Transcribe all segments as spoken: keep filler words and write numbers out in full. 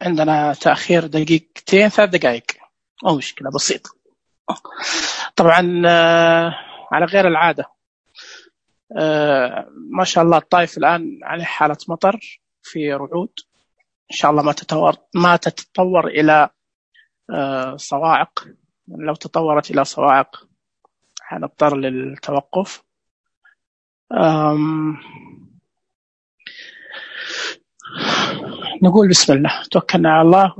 عندنا تأخير دقيقتين ثلاث دقائق، أو مشكلة بسيطة. طبعا على غير العادة، ما شاء الله الطائف الآن عليه حالة مطر في رعود، إن شاء الله ما تتطور ما تتطور إلى صواعق. لو تطورت إلى صواعق حنضطر للتوقف. نقول بسم الله، توكلنا على الله،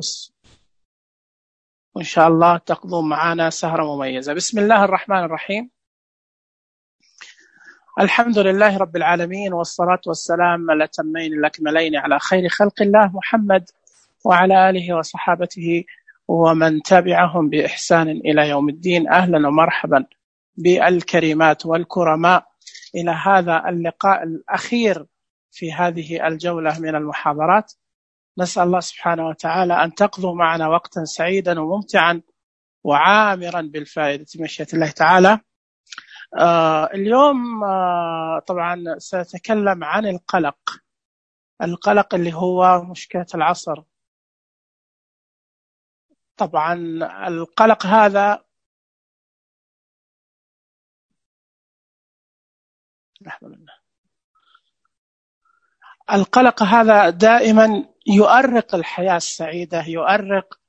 وإن شاء الله تقضوا معنا سهرة مميزة. بسم الله الرحمن الرحيم. الحمد لله رب العالمين، والصلاة والسلام الأتمين الأكملين على خير خلق الله محمد وعلى آله وصحابته ومن تبعهم بإحسان إلى يوم الدين. أهلا ومرحبا بالكريمات والكرماء إلى هذا اللقاء الأخير في هذه الجولة من المحاضرات. نسأل الله سبحانه وتعالى أن تقضوا معنا وقتا سعيدا وممتعا وعامرا بالفائدة بمشيئة الله تعالى. آه اليوم آه طبعا سأتكلم عن القلق القلق اللي هو مشكلة العصر. طبعا القلق هذا القلق هذا دائما يؤرق الحياة السعيدة، يؤرق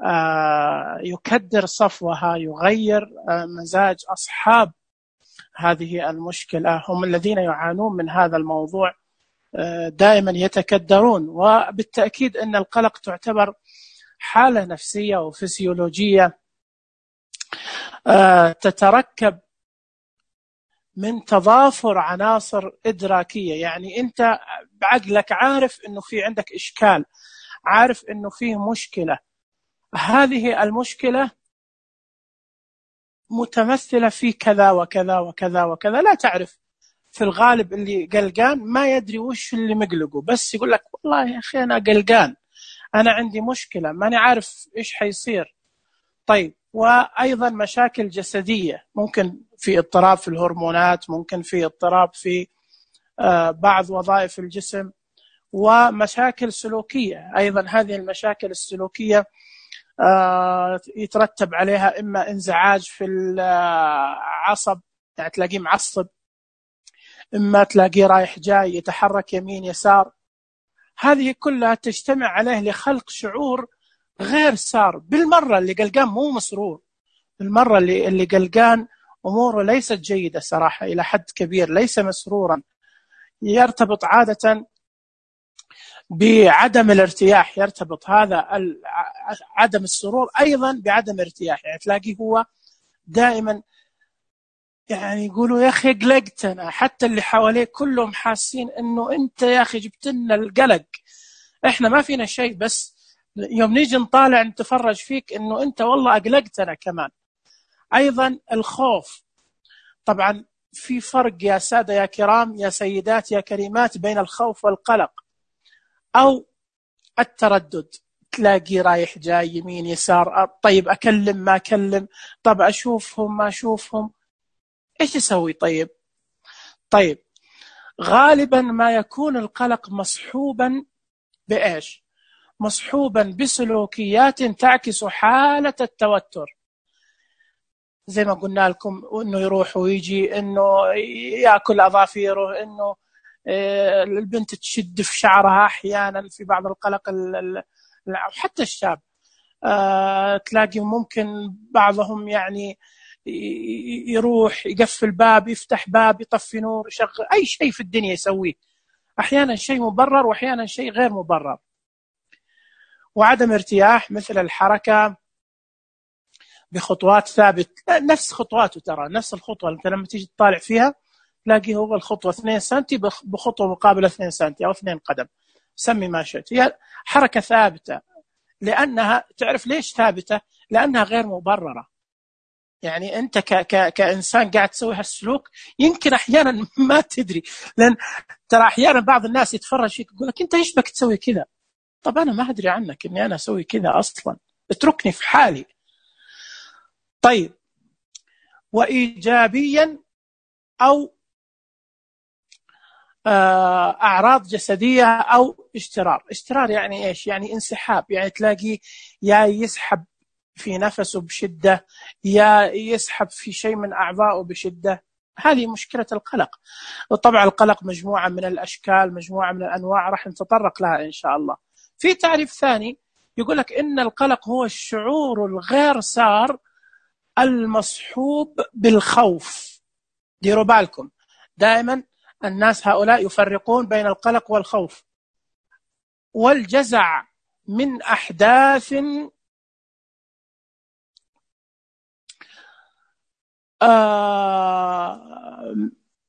آه يكدر صفوها، يغير آه مزاج أصحاب هذه المشكلة. هم الذين يعانون من هذا الموضوع، آه دائما يتكدرون. وبالتأكيد أن القلق تعتبر حالة نفسية وفسيولوجية آه تتركب من تضافر عناصر إدراكية. يعني أنت بعقلك عارف أنه في عندك إشكال، عارف أنه فيه مشكلة، هذه المشكلة متمثلة في كذا وكذا وكذا وكذا. لا تعرف، في الغالب اللي قلقان ما يدري وش اللي مقلقه، بس يقول لك والله يا أخي أنا قلقان، أنا عندي مشكلة، ماني عارف إيش حيصير. طيب، وأيضا مشاكل جسدية، ممكن في اضطراب في الهرمونات، ممكن في اضطراب في بعض وظائف الجسم، ومشاكل سلوكية أيضا. هذه المشاكل السلوكية يترتب عليها إما انزعاج في العصب، يعني تلاقيه معصب، إما تلاقيه رايح جاي يتحرك يمين يسار. هذه كلها تجتمع عليه لخلق شعور غير سار بالمرة. اللي قلقان مو مسرور بالمرة، اللي اللي قلقان أموره ليست جيدة صراحة، إلى حد كبير ليس مسرورا. يرتبط عادة بعدم الارتياح، يرتبط هذا عدم السرور أيضا بعدم ارتياح. يعني تلاقيه هو دائما يعني يقولوا يا أخي قلقتنا، حتى اللي حواليه كلهم حاسين أنه أنت يا أخي جبتنا القلق، إحنا ما فينا شيء، بس يوم نيجي نطالع نتفرج فيك أنه أنت والله أقلقتنا كمان. أيضا الخوف. طبعا في فرق يا سادة يا كرام يا سيدات يا كريمات بين الخوف والقلق. أو التردد، تلاقي رايح جاي يمين يسار، طيب أكلم ما أكلم، طب أشوفهم ما أشوفهم، إيش يسوي؟ طيب طيب غالبا ما يكون القلق مصحوبا بإيش؟ مصحوبا بسلوكيات تعكس حالة التوتر. زي ما قلنا لكم، إنه يروح ويجي، إنه يأكل أظافيره، إنه البنت تشد في شعرها أحيانا في بعض القلق، حتى الشاب تلاقي ممكن بعضهم يعني يروح يقفل باب، يفتح باب، يطفي نور، يشغل أي شيء في الدنيا يسويه، أحيانا شيء مبرر وأحيانا شيء غير مبرر. وعدم ارتياح، مثل الحركة بخطوات ثابت، نفس خطواته، ترى نفس الخطوة أنت لما تيجي تطالع فيها تلاقي هو الخطوة اثنين سنتي بخطوة مقابلة اثنين سنتي أو اثنين قدم، سمي ما شئت، هي حركة ثابتة. لأنها تعرف ليش ثابتة؟ لأنها غير مبررة. يعني أنت ك ك كإنسان قاعد تسوي هالسلوك يمكن أحيانا ما تدري، لأن ترى أحيانا بعض الناس يتفرج فيك يقول لك أنت إيش بك تسوي كذا؟ طب أنا ما أدري عنك إني أنا أسوي كذا أصلا، اتركني في حالي. طيب، وإيجابيا أو أعراض جسدية أو اشترار. اشترار يعني إيش؟ يعني انسحاب، يعني تلاقيه يا يسحب في نفسه بشدة، يا يسحب في شيء من أعضائه بشدة. هذه مشكلة القلق. وطبعا القلق مجموعة من الأشكال، مجموعة من الأنواع، راح نتطرق لها إن شاء الله. في تعريف ثاني يقول لك إن القلق هو الشعور الغير سار المصحوب بالخوف. ديروا بالكم دائما الناس هؤلاء يفرقون بين القلق والخوف والجزع من أحداث آه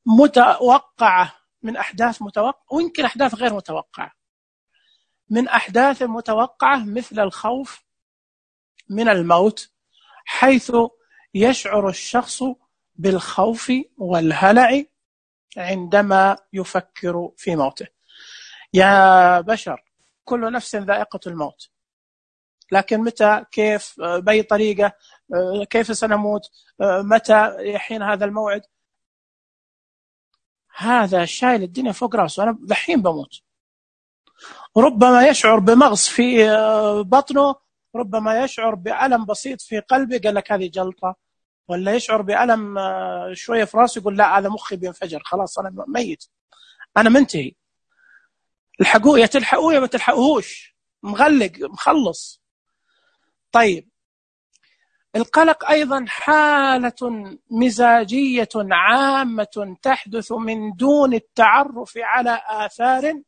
متوقعة، من أحداث متوقعة ويمكن أحداث غير متوقعة. من أحداث متوقعة مثل الخوف من الموت، حيث يشعر الشخص بالخوف والهلع عندما يفكر في موته. يا بشر كل نفس ذائقة الموت، لكن متى، كيف، بأي طريقة، كيف سنموت، متى يحين هذا الموعد، هذا شايل الدنيا فوق رأسه. أنا دحين بموت. ربما يشعر بمغص في بطنه، ربما يشعر بألم بسيط في قلبه، قال لك هذه جلطة، ولا يشعر بألم شوية في راسه يقول لا هذا مخي بينفجر، خلاص أنا ميت، أنا منتهي. الحقوه، يا تلحقوه يا ما تلحقوهوش، مغلق مخلص. طيب القلق أيضا حالة مزاجية عامة تحدث من دون التعرف على آثار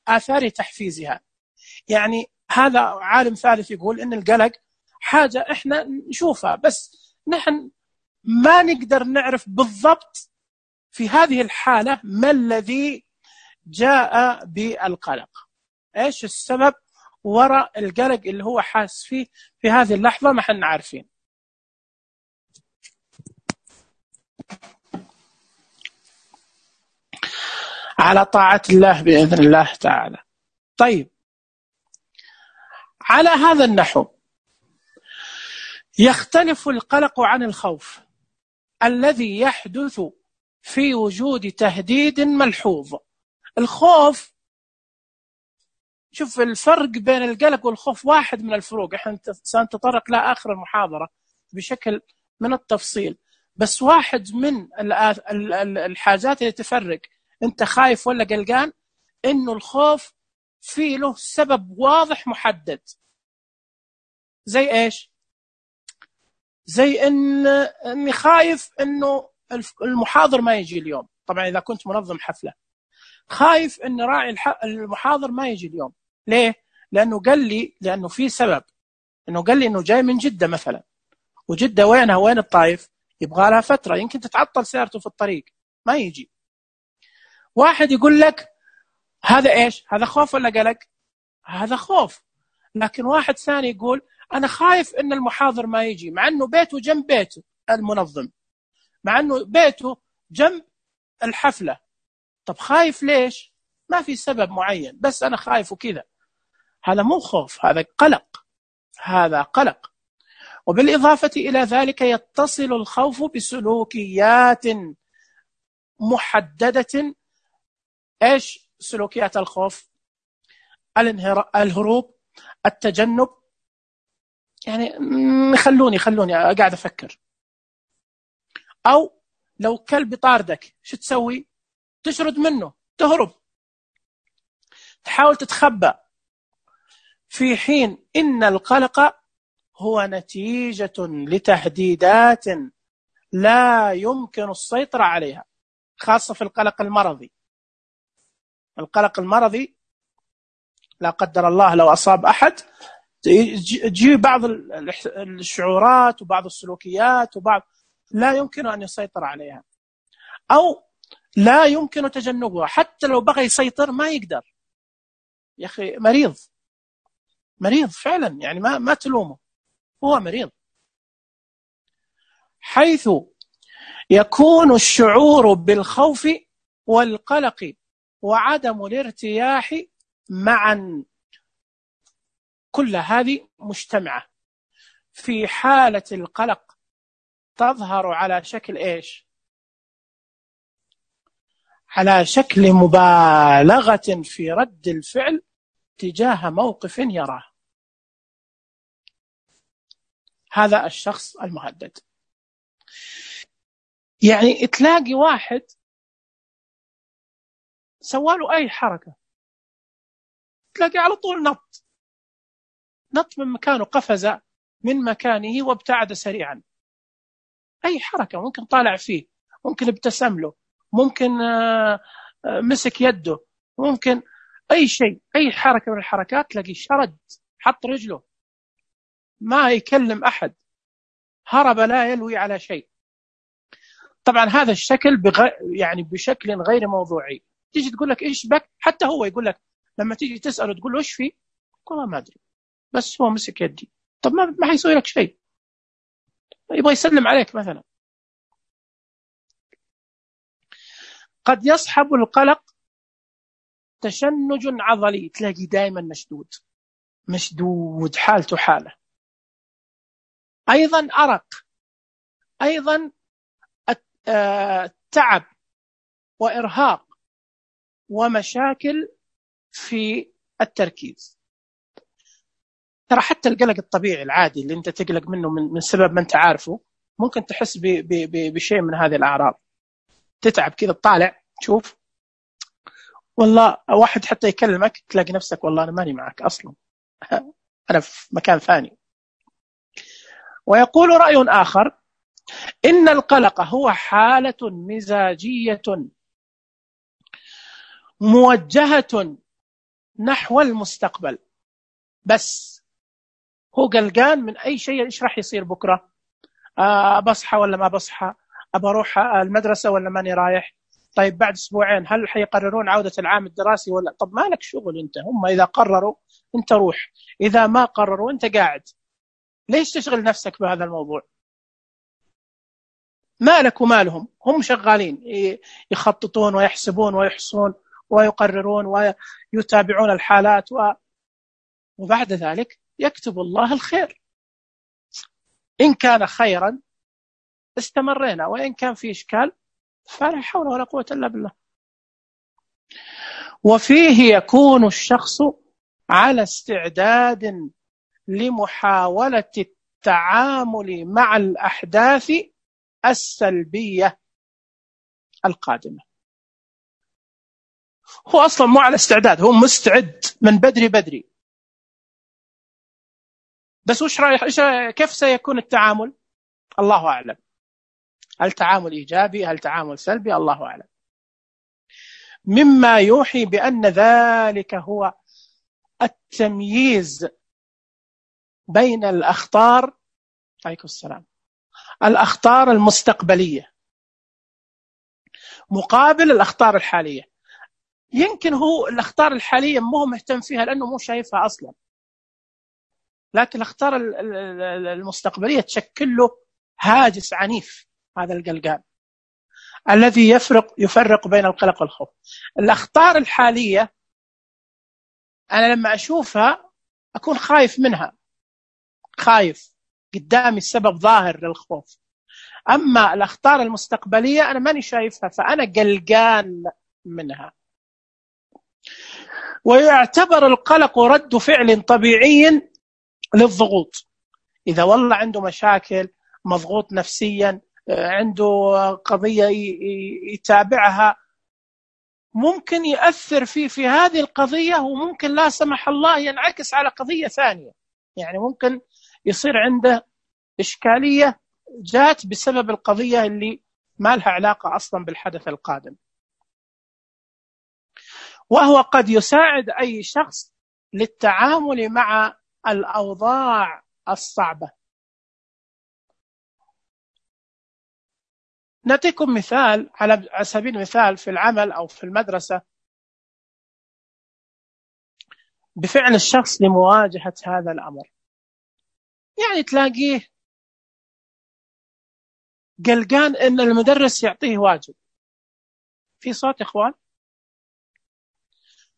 آثار تحفيزها. يعني هذا عالم ثالث يقول إن القلق حاجة إحنا نشوفها، بس نحن ما نقدر نعرف بالضبط في هذه الحالة ما الذي جاء بالقلق، إيش السبب وراء القلق اللي هو حاس فيه في هذه اللحظة، ما احنا عارفين. على طاعة الله بإذن الله تعالى. طيب على هذا النحو يختلف القلق عن الخوف الذي يحدث في وجود تهديد ملحوظ. الخوف، شوف الفرق بين القلق والخوف، واحد من الفروق احنا سنتطرق لها آخر المحاضرة بشكل من التفصيل، بس واحد من الحاجات اللي تفرق انت خايف ولا قلقان انه الخوف فيه له سبب واضح محدد. زي ايش؟ زي ان اني خايف انه المحاضر ما يجي اليوم. طبعا اذا كنت منظم حفلة خايف ان راعي المحاضر ما يجي اليوم. ليه؟ لانه قال لي، لانه في سبب، انه قال لي انه جاي من جدة مثلا، وجدة وينها؟ وين الطائف؟ يبغى لها فترة، يمكن تتعطل سيارته في الطريق ما يجي. واحد يقول لك هذا ايش؟ هذا خوف ولا قلق؟ هذا خوف. لكن واحد ثاني يقول انا خايف ان المحاضر ما يجي، مع انه بيته جنب بيته المنظم، مع انه بيته جنب الحفلة. طب خايف ليش؟ ما في سبب معين، بس انا خايف وكذا. هذا مو خوف، هذا قلق، هذا قلق. وبالإضافة إلى ذلك يتصل الخوف بسلوكيات محددة. إيش سلوكيات الخوف؟ الهروب، التجنب. يعني خلوني خلوني قاعد أفكر. أو لو كلب طاردك شو تسوي؟ تشرد منه، تهرب، تحاول تتخبى. في حين إن القلق هو نتيجة لتهديدات لا يمكن السيطرة عليها، خاصة في القلق المرضي. القلق المرضي لا قدر الله لو أصاب أحد تجي بعض الشعورات وبعض السلوكيات وبعض لا يمكن أن يسيطر عليها، أو لا يمكن تجنبها. حتى لو بغى يسيطر ما يقدر. يا أخي مريض، مريض فعلا، يعني ما ما تلومه، هو مريض. حيث يكون الشعور بالخوف والقلق وعدم الارتياح معا، كل هذه مجتمعة. في حالة القلق تظهر على شكل إيش؟ على شكل مبالغة في رد الفعل تجاه موقف يراه. هذا الشخص المهدد. يعني تلاقي واحد سواله أي حركة تلاقي على طول نط نط من مكانه، قفز من مكانه وابتعد سريعا. أي حركة ممكن طالع فيه، ممكن ابتسم له، ممكن مسك يده، ممكن أي شيء، أي حركة من الحركات تلاقي شرد، حط رجله، ما يكلم أحد، هرب لا يلوي على شيء. طبعا هذا الشكل بغ... يعني بشكل غير موضوعي. تيجي تقول لك إيش بك، حتى هو يقول لك لما تيجي تسأله تقول له إيش فيه، والله ما أدري بس هو مسك يدي. طب ما ما حيسوي لك شيء، يبغى يسلم عليك مثلا. قد يصحب القلق تشنج عضلي، تلاقي دائما مشدود مشدود حالته حاله. أيضا أرق، أيضا تعب وإرهاق ومشاكل في التركيز. ترى حتى القلق الطبيعي العادي اللي أنت تقلق منه من, من سبب ما أنت عارفه، ممكن تحس ب ب ب بشيء من هذه الأعراض. تتعب كذا تطالع تشوف والله واحد حتى يكلمك تلاقي نفسك والله أنا ماني معك أصلا، أنا في مكان ثاني. ويقول رأي آخر إن القلق هو حالة مزاجية موجهة نحو المستقبل، بس هو قلقان من أي شيء. إيش راح يصير بكرة؟ آه بصحى ولا ما بصحى؟ أبى أروح المدرسة ولا ماني رايح؟ طيب بعد أسبوعين هل حيقررون عودة العام الدراسي ولا؟ طب ما لك شغل أنت، هم إذا قرروا أنت روح، إذا ما قرروا أنت قاعد. ليش تشغل نفسك بهذا الموضوع؟ مالك ومالهم، هم شغالين يخططون ويحسبون ويحصون ويقررون ويتابعون الحالات و... وبعد ذلك يكتب الله الخير. إن كان خيرا استمرينا، وإن كان في إشكال فلا حول ولا قوة إلا بالله. وفيه يكون الشخص على استعداد لمحاولة التعامل مع الأحداث السلبية القادمة. هو أصلا مو على استعداد، هو مستعد من بدري بدري، بس وش رايح إيش كيف سيكون التعامل؟ الله أعلم. هل تعامل إيجابي، هل تعامل سلبي؟ الله أعلم. مما يوحي بأن ذلك هو التمييز بين الأخطار، عليكم السلام، الأخطار المستقبلية مقابل الأخطار الحالية. يمكن هو الأخطار الحالية مو مهتم فيها لأنه مو شايفها أصلا، لكن الأخطار المستقبلية تشكل له هاجس عنيف. هذا القلقان الذي يفرق يفرق بين القلق والخوف. الأخطار الحالية أنا لما أشوفها أكون خايف منها، خايف قدامي السبب ظاهر للخوف. أما الأخطار المستقبلية أنا ماني شايفها فأنا قلقان منها. ويعتبر القلق رد فعل طبيعي للضغوط. إذا والله عنده مشاكل، مضغوط نفسيا، عنده قضية يتابعها، ممكن يأثر فيه في هذه القضية، وممكن لا سمح الله ينعكس على قضية ثانية. يعني ممكن يصير عنده إشكالية جات بسبب القضية اللي ما لها علاقة أصلا بالحدث القادم. وهو قد يساعد أي شخص للتعامل مع الأوضاع الصعبة. نعطيكم مثال على سبيل المثال في العمل أو في المدرسة بفعل الشخص لمواجهة هذا الأمر. يعني تلاقيه قلقان إن المدرس يعطيه واجب. في صوت إخوان؟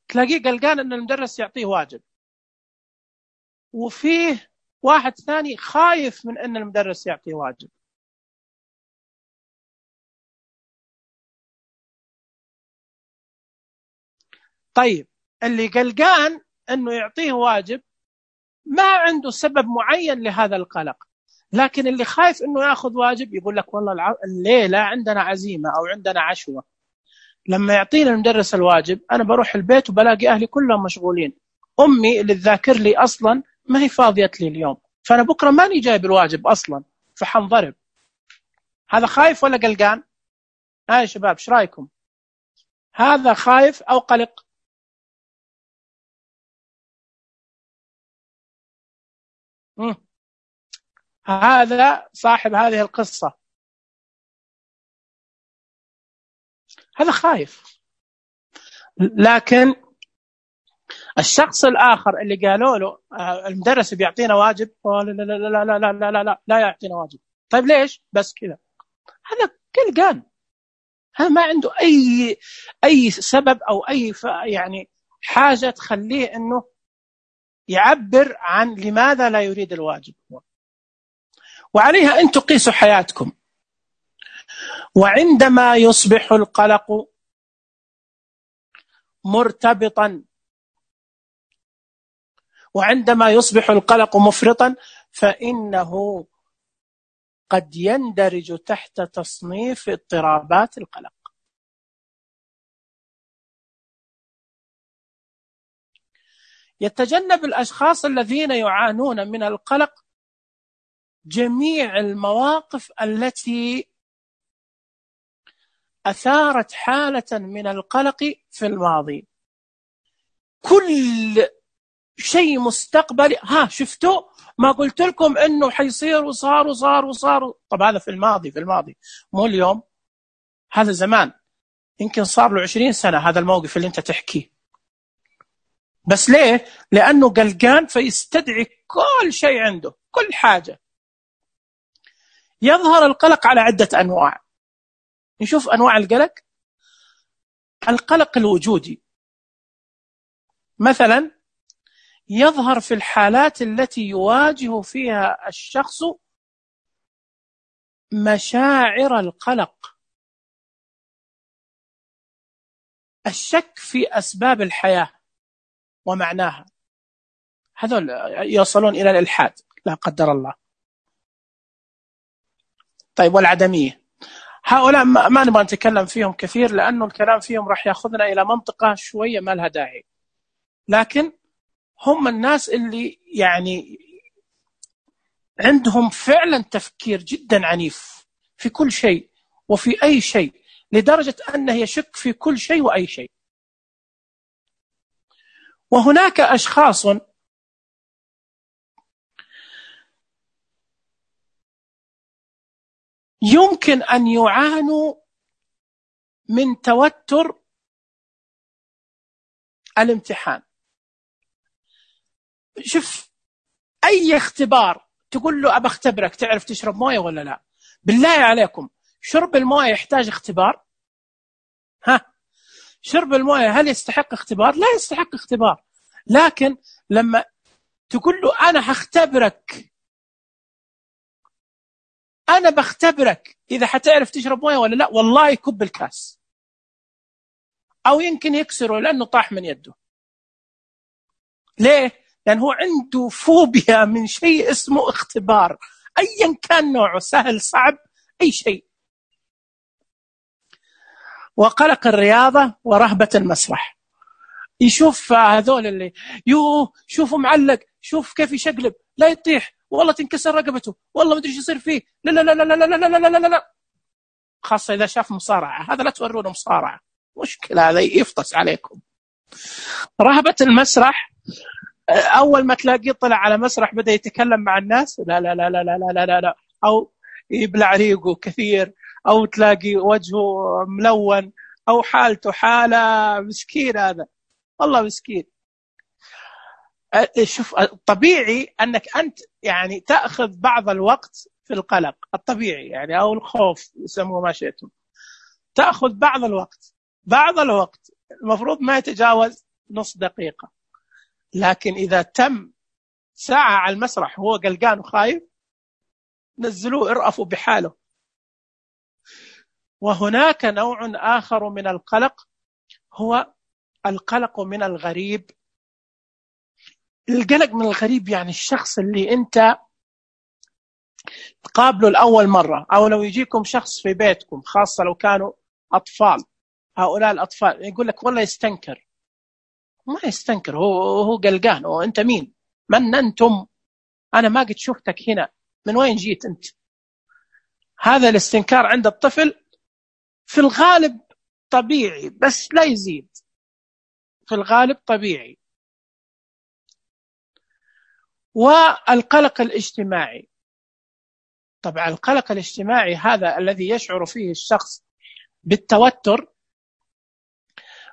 تلاقيه قلقان إن المدرس يعطيه واجب، وفيه واحد ثاني خايف من إن المدرس يعطيه واجب. طيب اللي قلقان أنه يعطيه واجب ما عنده سبب معين لهذا القلق، لكن اللي خايف أنه يأخذ واجب يقول لك والله الليلة عندنا عزيمة أو عندنا عشوة، لما يعطينا المدرس الواجب أنا بروح البيت وبلاقي أهلي كلهم مشغولين، أمي اللي تذاكر لي أصلا ما هي فاضية لي اليوم، فأنا بكرة ماني جايب الواجب أصلا فحنضرب. هذا خايف ولا قلقان؟ ها يا شباب ايش رايكم؟ هذا خايف أو قلق؟ مم. هذا صاحب هذه القصة هذا خايف. لكن الشخص الآخر اللي قالوا له المدرس بيعطينا واجب، لا لا لا لا لا لا لا لا لا, لا يعطينا واجب. طيب ليش؟ بس كذا. هذا قلقان، هذا ما عنده أي أي سبب أو أي يعني حاجة تخليه إنه يعبر عن لماذا لا يريد الواجب. وعليها أن تقيسوا حياتكم. وعندما يصبح القلق مرتبطا وعندما يصبح القلق مفرطا فإنه قد يندرج تحت تصنيف اضطرابات القلق. يتجنب الأشخاص الذين يعانون من القلق جميع المواقف التي أثارت حالة من القلق في الماضي. كل شيء مستقبلي، ها شفتوا ما قلت لكم انه حيصير وصار وصار وصار. طب هذا في الماضي في الماضي مو اليوم، هذا زمان، يمكن صار له عشرين سنة هذا الموقف اللي انت تحكيه. بس ليه؟ لأنه قلقان فيستدعي كل شيء عنده، كل حاجة. يظهر القلق على عدة أنواع. نشوف أنواع القلق. القلق الوجودي مثلا يظهر في الحالات التي يواجه فيها الشخص مشاعر القلق، الشك في أسباب الحياة ومعناها، هذول يوصلون إلى الإلحاد لا قدر الله. طيب والعدمية، هؤلاء ما نبغى نتكلم فيهم كثير لأنه الكلام فيهم راح يأخذنا إلى منطقة شوية ما لها داعي، لكن هم الناس اللي يعني عندهم فعلا تفكير جدا عنيف في كل شيء وفي أي شيء، لدرجة أنه يشك في كل شيء وأي شيء. وهناك أشخاص يمكن أن يعانوا من توتر الامتحان. شوف أي اختبار تقول له أبى اختبرك تعرف تشرب موية ولا لا، بالله عليكم شرب الموية يحتاج اختبار؟ ها، شرب الموية هل يستحق اختبار؟ لا يستحق اختبار. لكن لما تقول له أنا هختبرك، أنا بختبرك إذا حتعرف تشرب موية ولا لا، والله يكب الكاس أو يمكن يكسره لأنه طاح من يده. ليه؟ لأن هو عنده فوبيا من شيء اسمه اختبار، أيا كان نوعه، سهل صعب أي شيء. وقلق الرياضة ورهبة المسرح. يشوف هذول اللي يوه شوفوا معلق، شوف كيف يشقلب، لا يطيح، والله تنكسر رقبته، والله ما ادري ايش يصير فيه، لا لا لا لا لا لا لا لا لا لا. خاصة إذا شاف مصارعة، هذا لا تورونه مصارعة، مشكلة، هذا يفطس عليكم. رهبة المسرح، أول ما تلاقيه طلع على مسرح بدأ يتكلم مع الناس، لا لا لا لا لا لا لا لا، أو يبلع ريقه كثير، أو تلاقي وجهه ملون، أو حالته حالة مسكين، هذا والله مسكين. شوف الطبيعي أنك أنت يعني تأخذ بعض الوقت في القلق الطبيعي يعني، أو الخوف يسموه ما شئتم، تأخذ بعض الوقت، بعض الوقت المفروض ما يتجاوز نص دقيقة. لكن إذا تم ساعة على المسرح وهو قلقان وخايف، نزلوه ارأفوا بحاله. وهناك نوع آخر من القلق هو القلق من الغريب. القلق من الغريب يعني الشخص اللي أنت تقابله لأول مرة، أو لو يجيكم شخص في بيتكم خاصة لو كانوا أطفال، هؤلاء الأطفال يقول لك والله يستنكر. ما يستنكر، هو هو قلقان. هو أنت مين؟ من أنتم؟ أنا ما قد شفتك هنا، من وين جيت أنت؟ هذا الاستنكار عند الطفل في الغالب طبيعي، بس لا يزيد، في الغالب طبيعي. والقلق الاجتماعي، طبعا القلق الاجتماعي هذا الذي يشعر فيه الشخص بالتوتر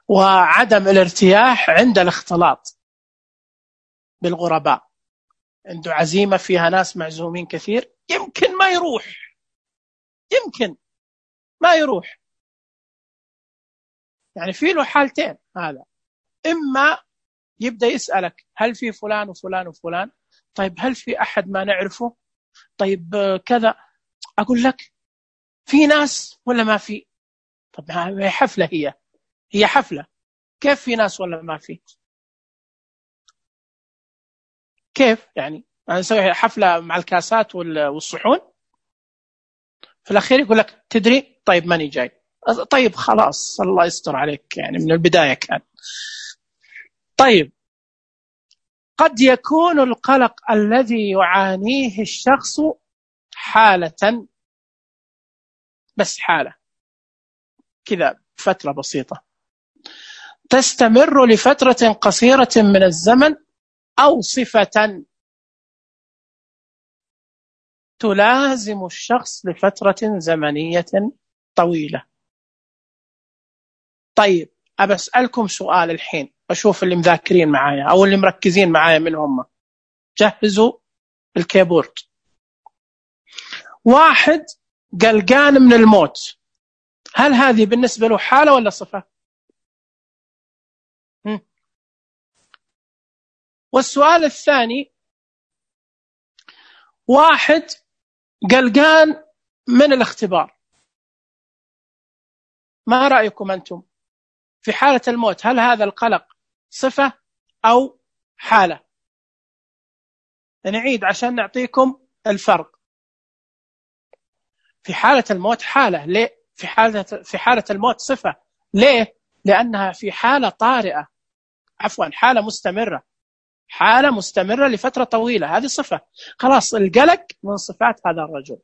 وعدم الارتياح عند الاختلاط بالغرباء. عنده عزيمة فيها ناس معزومين كثير، يمكن ما يروح، يمكن ما يروح. يعني في له حالتين هذا، إما يبدأ يسألك هل في فلان وفلان وفلان؟ طيب هل في أحد ما نعرفه؟ طيب كذا. أقول لك في ناس ولا ما في؟ طب هي حفلة، هي هي حفلة، كيف في ناس ولا ما في؟ كيف يعني أنا نسوي حفلة مع الكاسات والصحون؟ في الأخير يقول لك تدري طيب ماني جاي. طيب خلاص الله يستر عليك، يعني من البداية كان. طيب قد يكون القلق الذي يعانيه الشخص حالة، بس حالة كذا فترة بسيطة تستمر لفترة قصيرة من الزمن، أو صفة تلازم الشخص لفترة زمنية طويلة. طيب أبى أسألكم سؤال الحين، أشوف اللي مذاكرين معايا أو اللي مركزين معايا منهم، جهزوا الكيبورد. واحد قلقان من الموت، هل هذه بالنسبة له حالة ولا صفة؟ هم. والسؤال الثاني، واحد قلقان من الاختبار، ما رأيكم أنتم في حالة الموت؟ هل هذا القلق صفة أو حالة؟ نعيد عشان نعطيكم الفرق. في حالة الموت حالة، ليه؟ في حالة في حالة الموت صفة، ليه؟ لأنها في حالة طارئة، عفوا حالة مستمرة، حالة مستمرة لفترة طويلة، هذه صفة. خلاص القلق من صفات هذا الرجل.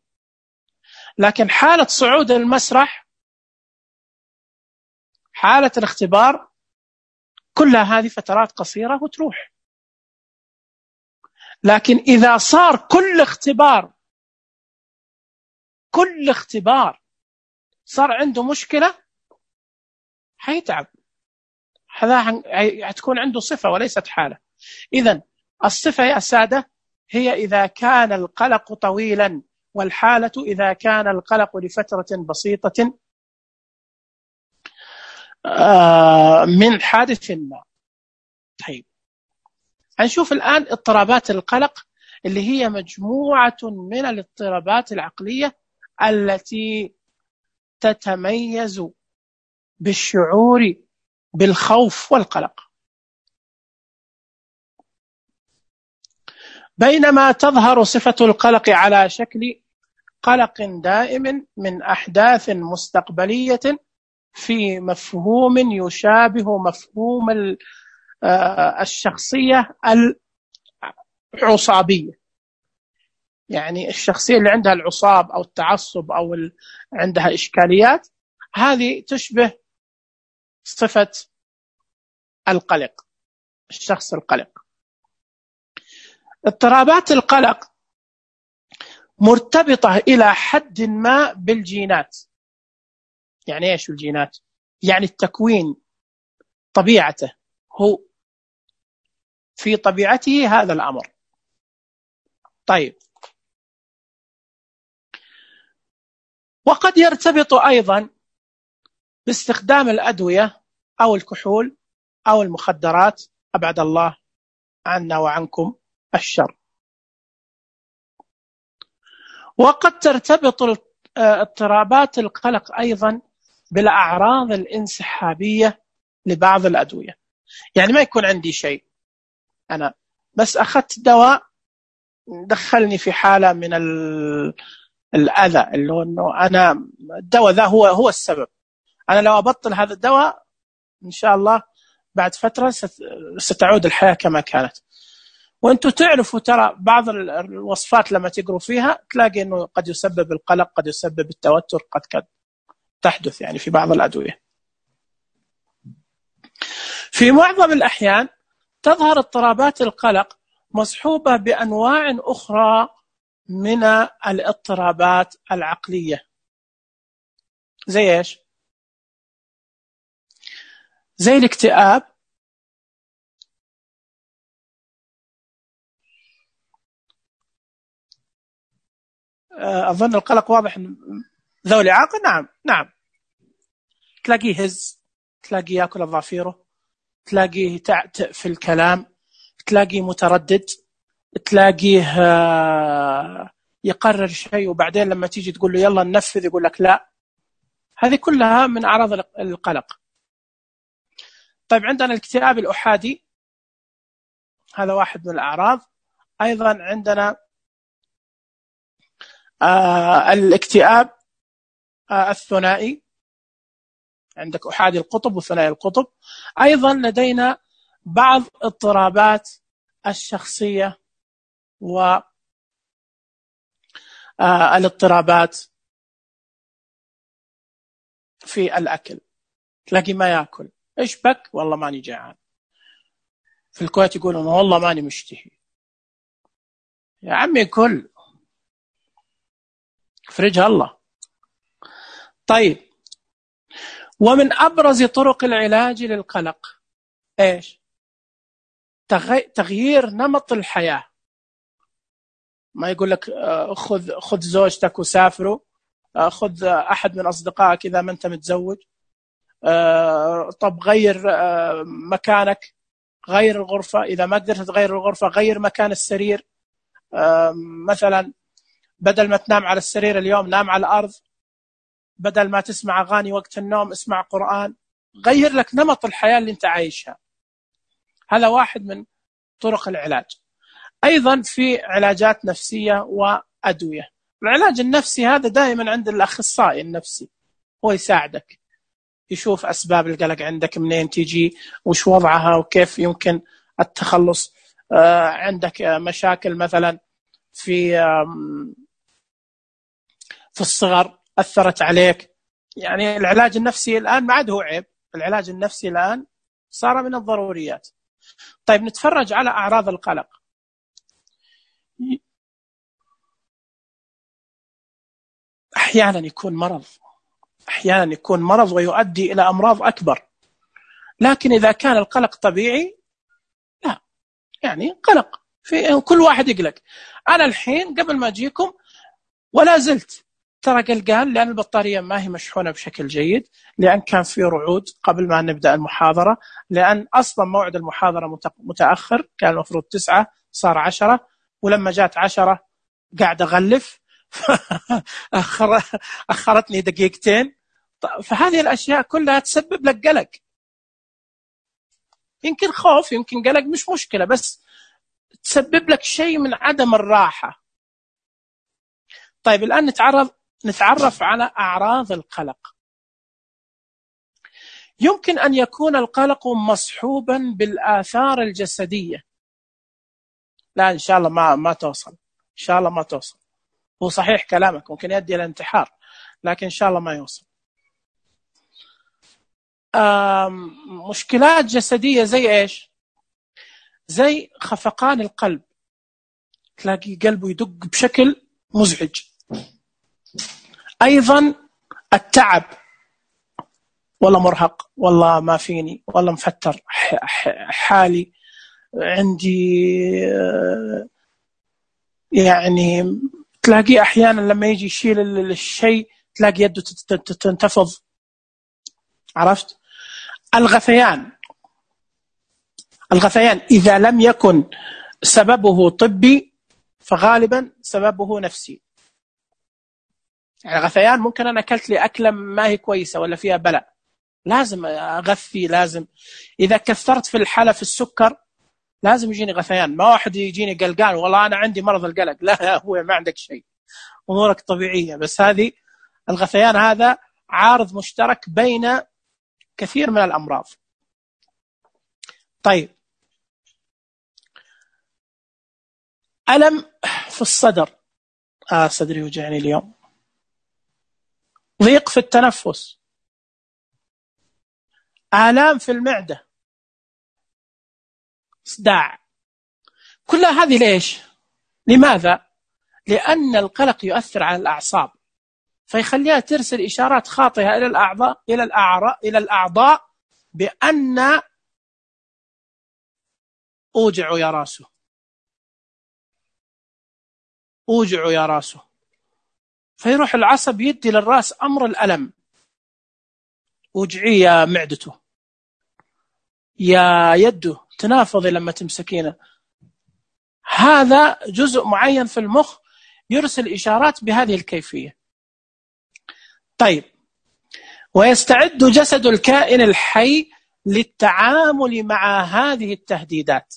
لكن حالة صعود المسرح، حالة الاختبار، كلها هذه فترات قصيرة وتروح. لكن إذا صار كل اختبار كل اختبار صار عنده مشكلة، حيتعب. هذا هتكون عنده صفة وليست حالة. إذن الصفة يا سادة هي إذا كان القلق طويلا، والحالة إذا كان القلق لفترة بسيطة من حادث ما. طيب هنشوف الآن اضطرابات القلق، اللي هي مجموعة من الاضطرابات العقلية التي تتميز بالشعور بالخوف والقلق. بينما تظهر صفة القلق على شكل قلق دائم من أحداث مستقبلية في مفهوم يشابه مفهوم الشخصية العصابية. يعني الشخصية اللي عندها العصاب أو التعصب أو عندها إشكاليات، هذه تشبه صفة القلق، الشخص القلق. اضطرابات القلق مرتبطة إلى حد ما بالجينات. يعني إيش الجينات؟ يعني التكوين، طبيعته، هو في طبيعته هذا الأمر. طيب وقد يرتبط أيضا باستخدام الأدوية أو الكحول أو المخدرات، أبعد الله عنا وعنكم الشر. وقد ترتبط اضطرابات القلق أيضا بالأعراض الانسحابية لبعض الأدوية. يعني ما يكون عندي شيء، أنا بس أخذت دواء دخلني في حالة من الأذى، اللي هو أنه أنا الدواء ذا هو هو السبب. أنا لو أبطل هذا الدواء إن شاء الله بعد فترة ستعود الحياة كما كانت. وأنتم تعرفوا ترى بعض الوصفات لما تقروا فيها تلاقي أنه قد يسبب القلق، قد يسبب التوتر، قد قد تحدث يعني في بعض الأدوية. في معظم الأحيان تظهر اضطرابات القلق مصحوبة بأنواع أخرى من الاضطرابات العقلية. زي إيش؟ زي الاكتئاب، أظن القلق واضح ذوي عاقل. نعم نعم، تلاقيه هز، تلاقيه يأكل أظافيره، تلاقيه تعتق في الكلام، تلاقيه متردد، تلاقيه يقرر شيء وبعدين لما تيجي تقول له يلا ننفذ يقول لك لا. هذه كلها من أعراض القلق. طيب عندنا الاكتئاب الأحادي، هذا واحد من الأعراض. أيضا عندنا آه الاكتئاب آه الثنائي، عندك أحادي القطب وثنائي القطب. أيضا لدينا بعض اضطرابات الشخصية والاضطرابات في الأكل. تلاقي ما يأكل، إيش بك؟ والله ماني جعان. في الكويت يقولون والله ماني مشتهي. يا عمي كل فرجها الله. طيب، ومن أبرز طرق العلاج للقلق إيش؟ تغيير نمط الحياة. ما يقول لك خذ خذ زوجتك وسافروا، خذ أحد من أصدقائك إذا ما أنت متزوج، طب غير مكانك، غير الغرفة، إذا ما قدرت تغير الغرفة غير مكان السرير. مثلا بدل ما تنام على السرير اليوم نام على الأرض، بدل ما تسمع أغاني وقت النوم اسمع قرآن. غير لك نمط الحياة اللي أنت عايشها. هذا واحد من طرق العلاج. أيضا في علاجات نفسية وأدوية. العلاج النفسي هذا دائما عند الأخصائي النفسي، هو يساعدك يشوف أسباب القلق عندك منين تيجي، وش وضعها، وكيف يمكن التخلص. آه عندك مشاكل مثلا في في الصغر أثرت عليك. يعني العلاج النفسي الآن ما عاد هو عيب، العلاج النفسي الآن صار من الضروريات. طيب نتفرج على أعراض القلق. أحيانا يكون مرض، أحيانا يكون مرض ويؤدي إلى أمراض أكبر. لكن إذا كان القلق طبيعي لا، يعني قلق في كل واحد يقلق. أنا الحين قبل ما أجيكم ولا زلت ترى قلقان، لأن البطارية ما هي مشحونة بشكل جيد، لأن كان في رعود قبل ما نبدأ المحاضرة، لأن أصلا موعد المحاضرة متأخر، كان المفروض تسعة صار عشرة، ولما جات عشرة قاعد أغلف أخرتني دقيقتين. فهذه الأشياء كلها تسبب لك قلق. يمكن خوف، يمكن قلق، مش مشكلة، بس تسبب لك شيء من عدم الراحة. طيب الآن نتعرض نتعرف على أعراض القلق. يمكن أن يكون القلق مصحوبا بالآثار الجسدية. لا إن شاء الله ما ما توصل، إن شاء الله ما توصل. هو صحيح كلامك ممكن يؤدي إلى انتحار، لكن إن شاء الله ما يوصل. مشكلات جسدية زي إيش؟ زي خفقان القلب، تلاقي قلبه يدق بشكل مزعج. أيضا التعب، والله مرهق، والله ما فيني، والله مفتر حالي، عندي يعني تلاقي أحيانا لما يجي يشيل الشيء تلاقي يده تنتفض. عرفت؟ الغثيان، الغثيان إذا لم يكن سببه طبي فغالبا سببه نفسي. يعني غثيان ممكن أنا أكلت لي أكلة ما هي كويسة ولا فيها بلاء، لازم أغثي، لازم إذا كثرت في الحالة في السكر لازم يجيني غثيان. ما واحد يجيني قلقان والله أنا عندي مرض القلق، لا يا أخوي ما عندك شيء، أمورك طبيعية، بس هذه الغثيان هذا عارض مشترك بين كثير من الأمراض. طيب، ألم في الصدر، آه صدري وجعني اليوم، ضيق في التنفس، آلام في المعدة، صداع، كل هذه ليش؟ لماذا؟ لأن القلق يؤثر على الأعصاب، فيخليها ترسل إشارات خاطئة إلى الأعضاء إلى الأعراء إلى الأعضاء بأن أوجع يا راسه، أوجع يا راسه، فيروح العصب يدي للراس أمر الألم، وجعي يا معدته، يا يده تنافضي لما تمسكينه. هذا جزء معين في المخ يرسل إشارات بهذه الكيفية. طيب، ويستعد جسد الكائن الحي للتعامل مع هذه التهديدات.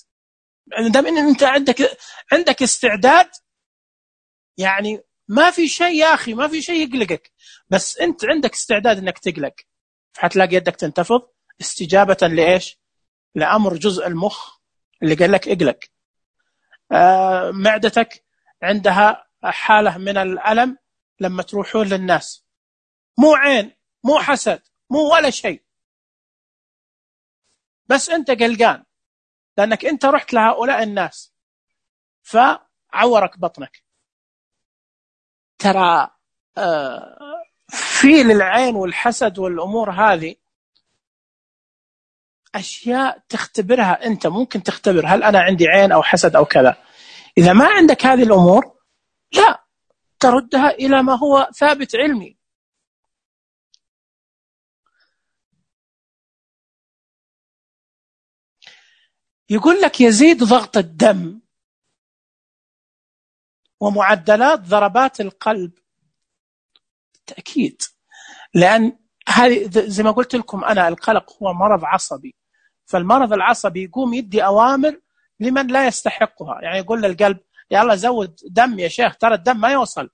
دام ان انت عندك عندك استعداد، يعني ما في شيء يا اخي، ما في شيء يقلقك، بس انت عندك استعداد انك تقلق، فحتلاقي يدك تنتفض استجابة لايش؟ لامر جزء المخ اللي قال لك اقلق. آه معدتك عندها حالة من الألم لما تروحون للناس، مو عين مو حسد مو ولا شيء، بس انت قلقان لانك انت رحت لهؤلاء الناس فعورك بطنك. ترى آه في للعين والحسد والامور هذه اشياء تختبرها انت، ممكن تختبر هل انا عندي عين او حسد او كذا. اذا ما عندك هذه الامور لا تردها الى ما هو ثابت علمي. يقول لك يزيد ضغط الدم ومعدلات ضربات القلب، بالتأكيد، لأن هذه زي ما قلت لكم أنا القلق هو مرض عصبي، فالمرض العصبي يقوم يدي أوامر لمن لا يستحقها، يعني يقول للقلب يلا زود دم يا شيخ، ترى الدم ما يوصل،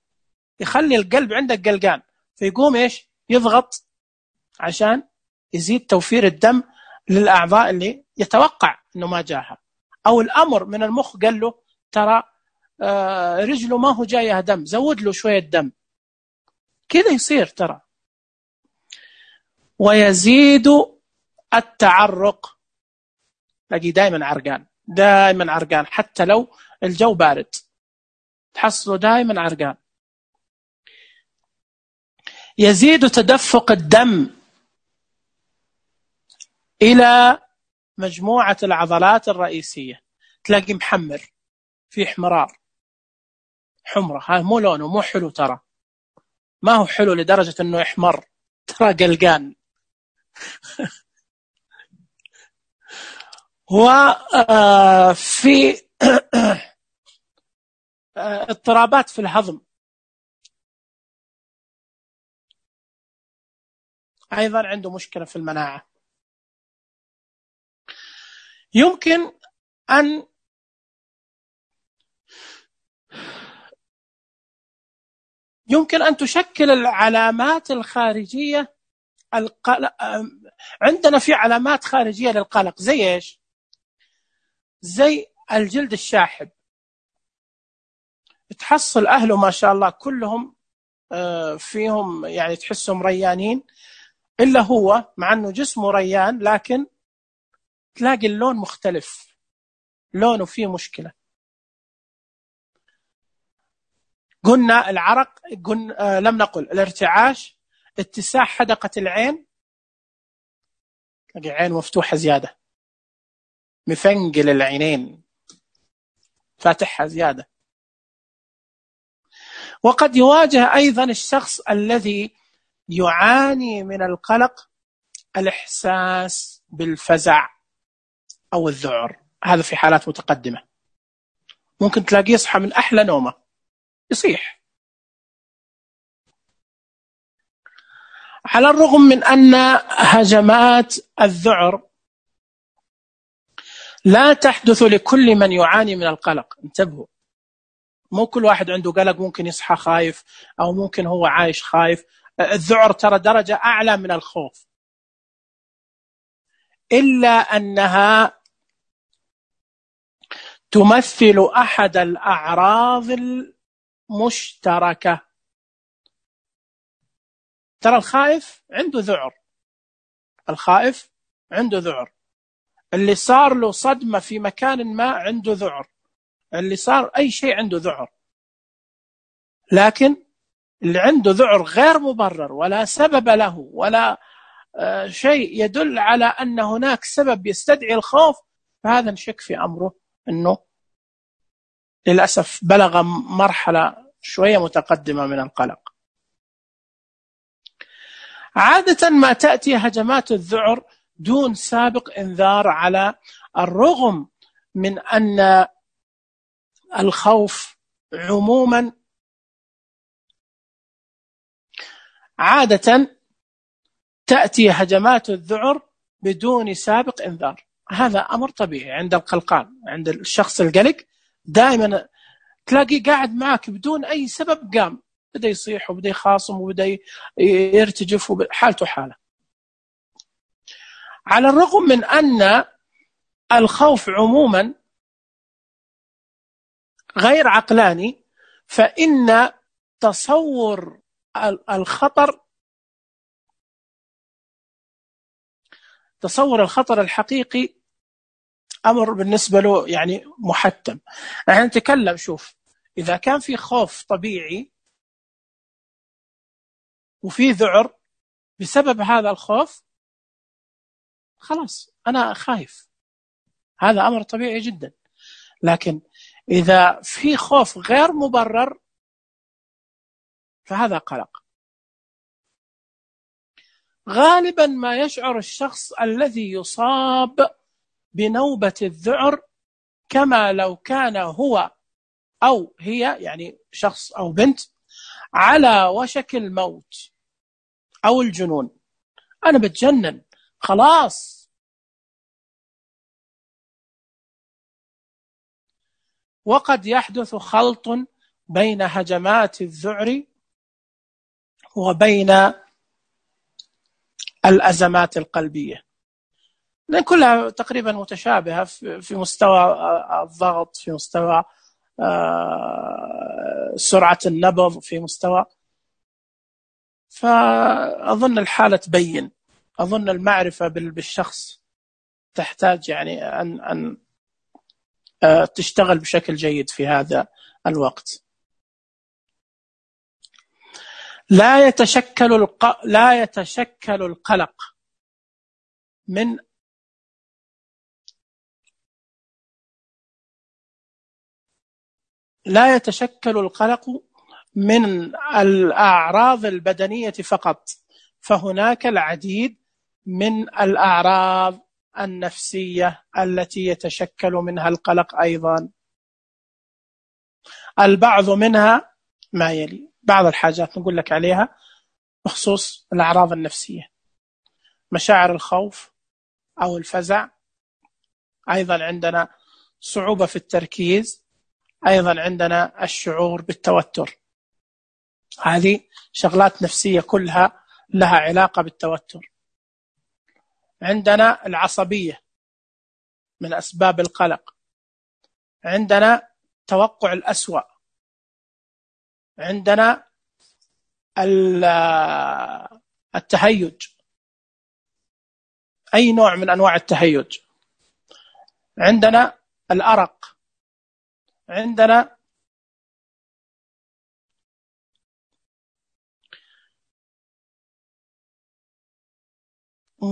يخلي القلب عندك قلقان، فيقوم إيش؟ يضغط عشان يزيد توفير الدم للأعضاء اللي يتوقع أنه ما جاها، أو الأمر من المخ قال له ترى آه رجله ما هو جايها دم، زود له شوية دم، كذا يصير ترى. ويزيد التعرق، تلاقي دائما عرقان، دائما عرقان، حتى لو الجو بارد تحصله دائما عرقان. يزيد تدفق الدم إلى مجموعة العضلات الرئيسية، تلاقي محمر، في احمرار، حمرة، هاي مو لونه مو حلو، ترى ما هو حلو لدرجة أنه يحمر، ترى قلقان. وفي اضطرابات في الهضم أيضا، عنده مشكلة في المناعة. يمكن أن يمكن أن تشكل العلامات الخارجية القلق. عندنا في علامات خارجية للقلق زي إيش؟ زي الجلد الشاحب، تحصل أهله ما شاء الله كلهم فيهم يعني تحسهم ريانين، إلا هو مع أنه جسمه ريان لكن تلاقي اللون مختلف، لونه فيه مشكلة. قلنا العرق، قلنا لم نقل الارتعاش، اتساع حدقة العين، تلاقي عين مفتوحة زيادة، مفنقل العينين فاتحها زيادة. وقد يواجه أيضا الشخص الذي يعاني من القلق الإحساس بالفزع أو الذعر، هذا في حالات متقدمة، ممكن تلاقيه يصحى من أحلى نومه يصيح. على الرغم من أن هجمات الذعر لا تحدث لكل من يعاني من القلق. انتبهوا، مو كل واحد عنده قلق ممكن يصحى خايف، أو ممكن هو عايش خايف. الذعر ترى درجة أعلى من الخوف، إلا أنها تمثل أحد الأعراض المشتركة. ترى الخائف عنده ذعر، الخائف عنده ذعر، اللي صار له صدمة في مكان ما عنده ذعر، اللي صار أي شيء عنده ذعر. لكن اللي عنده ذعر غير مبرر ولا سبب له ولا شيء يدل على أن هناك سبب يستدعي الخوف، فهذا نشك في أمره أنه للأسف بلغ مرحلة شوية متقدمة من القلق. عادة ما تأتي هجمات الذعر دون سابق إنذار، على الرغم من أن الخوف عموما عادة تأتي هجمات الذعر بدون سابق إنذار. هذا أمر طبيعي عند القلقان، عند الشخص القلق دائما تلاقي قاعد معك بدون أي سبب قام بدأ يصيح وبدأ يخاصم وبدأ يرتجف وحالته حالة. على الرغم من أن الخوف عموما غير عقلاني، فإن تصور الخطر تصور الخطر الحقيقي أمر بالنسبة له يعني محتم. نحن نتكلم، شوف، إذا كان في خوف طبيعي وفي ذعر بسبب هذا الخوف، خلاص أنا خايف، هذا أمر طبيعي جدا. لكن إذا في خوف غير مبرر فهذا قلق. غالبا ما يشعر الشخص الذي يصاب بنوبة الذعر كما لو كان هو أو هي، يعني شخص أو بنت، على وشك الموت أو الجنون. أنا بتجنن خلاص. وقد يحدث خلط بين هجمات الذعر وبين الأزمات القلبية، لأن كلها تقريبا متشابهة في مستوى الضغط، في مستوى سرعة النبض، في مستوى. فأظن الحالة تبين، أظن المعرفة بالشخص تحتاج يعني أن أن تشتغل بشكل جيد في هذا الوقت. لا يتشكل الق... لا يتشكل القلق من لا يتشكل القلق من الأعراض البدنية فقط، فهناك العديد من الأعراض النفسية التي يتشكل منها القلق أيضا. البعض منها ما يلي، بعض الحاجات نقول لك عليها بخصوص الأعراض النفسية: مشاعر الخوف أو الفزع، أيضا عندنا صعوبة في التركيز، أيضا عندنا الشعور بالتوتر. هذه شغلات نفسية كلها لها علاقة بالتوتر. عندنا العصبية من أسباب القلق، عندنا توقع الأسوأ، عندنا التهيج، أي نوع من أنواع التهيج، عندنا الأرق، عندنا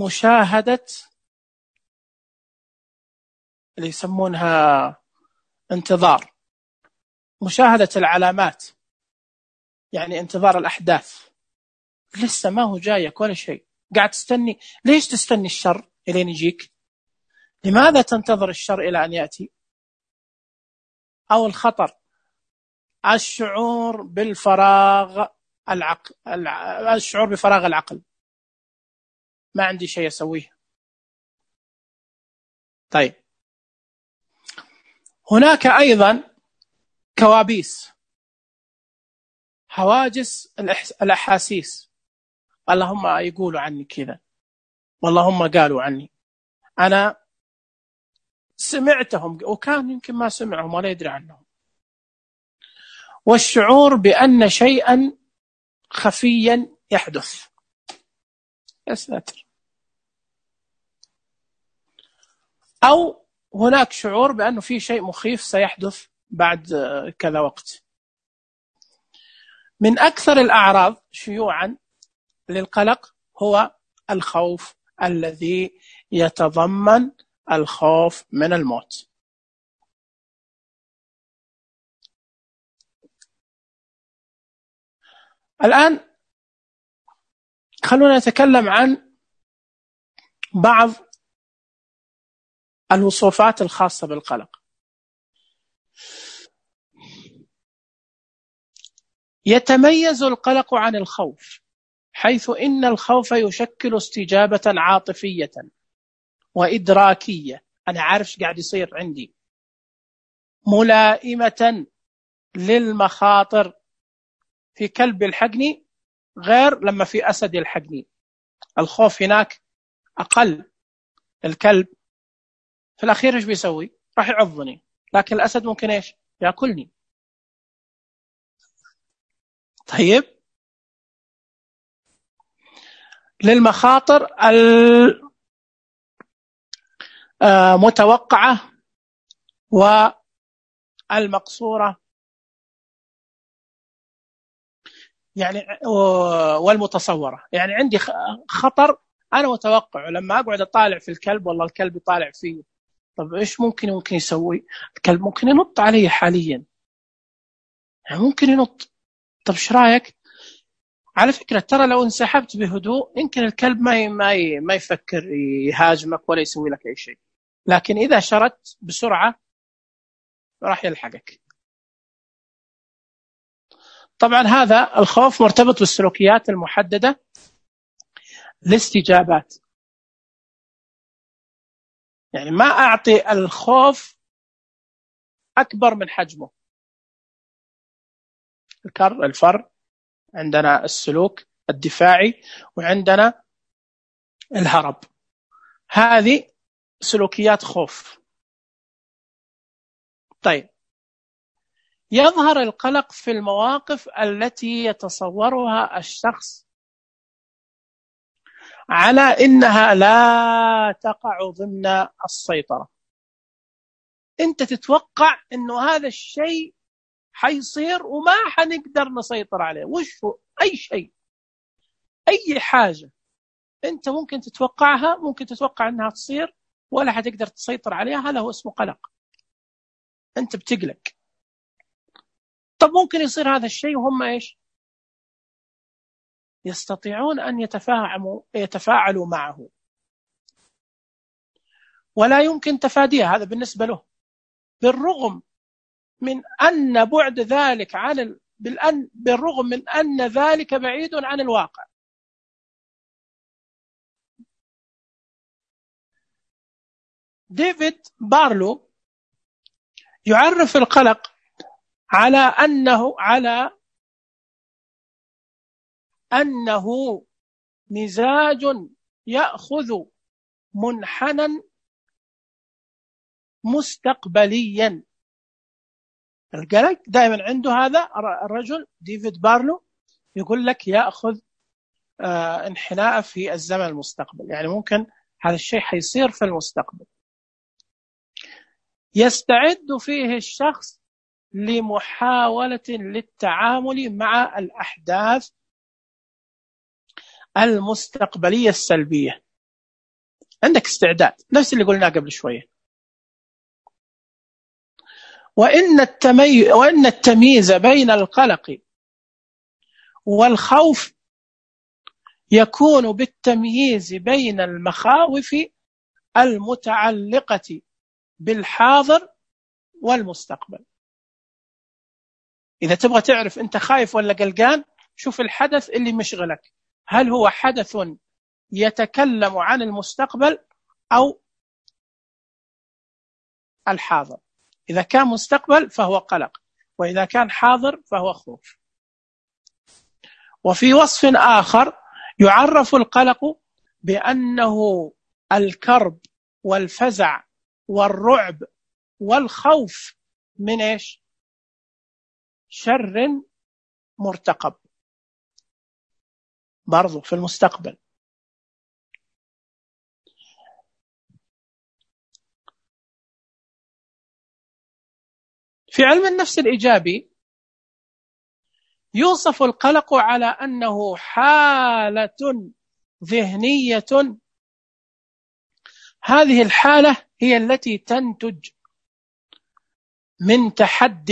مشاهدة اللي يسمونها انتظار، مشاهدة العلامات، يعني انتظار الأحداث، لسه ما هو جايك ولا شيء، قاعد تستني. ليش تستني الشر إلين يجيك؟ لماذا تنتظر الشر إلى أن يأتي؟ أو الخطر، الشعور بالفراغ العقل، الشعور بفراغ العقل، ما عندي شيء أسويه. طيب، هناك أيضا كوابيس، هواجس الأحاسيس. اللهم يقولوا عني كذا، واللهم قالوا عني، أنا سمعتهم وكان يمكن ما سمعهم ولا يدري عنهم. والشعور بأن شيئا خفيا يحدث. يا ساتر. أو هناك شعور بأنه في شيء مخيف سيحدث بعد كذا وقت. من أكثر الأعراض شيوعا للقلق هو الخوف الذي يتضمن الخوف من الموت. الآن خلونا نتكلم عن بعض الوصفات الخاصة بالقلق. يتميز القلق عن الخوف حيث إن الخوف يشكل استجابة عاطفية وإدراكية، أنا عارف ايش قاعد يصير عندي، ملائمة للمخاطر. في كلب يلحقني غير لما في أسد يلحقني، الخوف هناك أقل. الكلب في الأخير ايش بيسوي؟ راح يعضني، لكن الأسد ممكن ايش؟ يأكلني. طيب، للمخاطر المتوقعة والمقصورة يعني والمتصورة. يعني عندي خطر أنا متوقع، لما أقعد أطالع في الكلب والله الكلب يطالع فيه، طب إيش ممكن ممكن يسوي؟ الكلب ممكن ينط علي حاليا، يعني ممكن ينط. طب إيش رأيك؟ على فكرة ترى لو انسحبت بهدوء يمكن الكلب ما ما ما يفكر يهاجمك ولا يسوي لك أي شيء، لكن إذا شردت بسرعة راح يلحقك. طبعا هذا الخوف مرتبط بالسلوكيات المحددة لاستجابات، يعني ما أعطي الخوف أكبر من حجمه. الكر الفر، عندنا السلوك الدفاعي، وعندنا الهرب. هذه سلوكيات خوف. طيب، يظهر القلق في المواقف التي يتصورها الشخص على إنها لا تقع ضمن السيطرة. أنت تتوقع أنه هذا الشيء حيصير وما حنقدر نسيطر عليه. وش هو؟ أي شيء، أي حاجة أنت ممكن تتوقعها، ممكن تتوقع أنها تصير ولا حتقدر تسيطر عليها، هذا هو اسمه قلق. أنت بتقلق. طب ممكن يصير هذا الشيء وهم إيش؟ يستطيعون أن يتفاعلوا يتفاعلوا معه ولا يمكن تفاديها. هذا بالنسبة له، بالرغم من أن بعد ذلك عن ال... بالأن... بالرغم من أن ذلك بعيد عن الواقع. ديفيد بارلو يعرف القلق على أنه على أنه مزاج يأخذ منحنى مستقبليا. القلق دائما عنده هذا الرجل ديفيد بارلو يقول لك يأخذ آه انحناء في الزمن المستقبل، يعني ممكن هذا الشيء حيصير في المستقبل. يستعد فيه الشخص لمحاولة للتعامل مع الأحداث المستقبلية السلبية. عندك استعداد، نفس اللي قلناه قبل شوية. وإن التمي... وإن التمييز بين القلق والخوف يكون بالتمييز بين المخاوف المتعلقة بالحاضر والمستقبل. إذا تبغى تعرف أنت خايف ولا قلقان، شوف الحدث اللي مشغلك، هل هو حدث يتكلم عن المستقبل أو الحاضر. إذا كان مستقبل فهو قلق، وإذا كان حاضر فهو خوف. وفي وصف آخر يعرف القلق بأنه الكرب والفزع والرعب والخوف من إيش؟ شر مرتقب برضو في المستقبل. في علم النفس الإيجابي يوصف القلق على أنه حالة ذهنية، هذه الحالة هي التي تنتج من تحد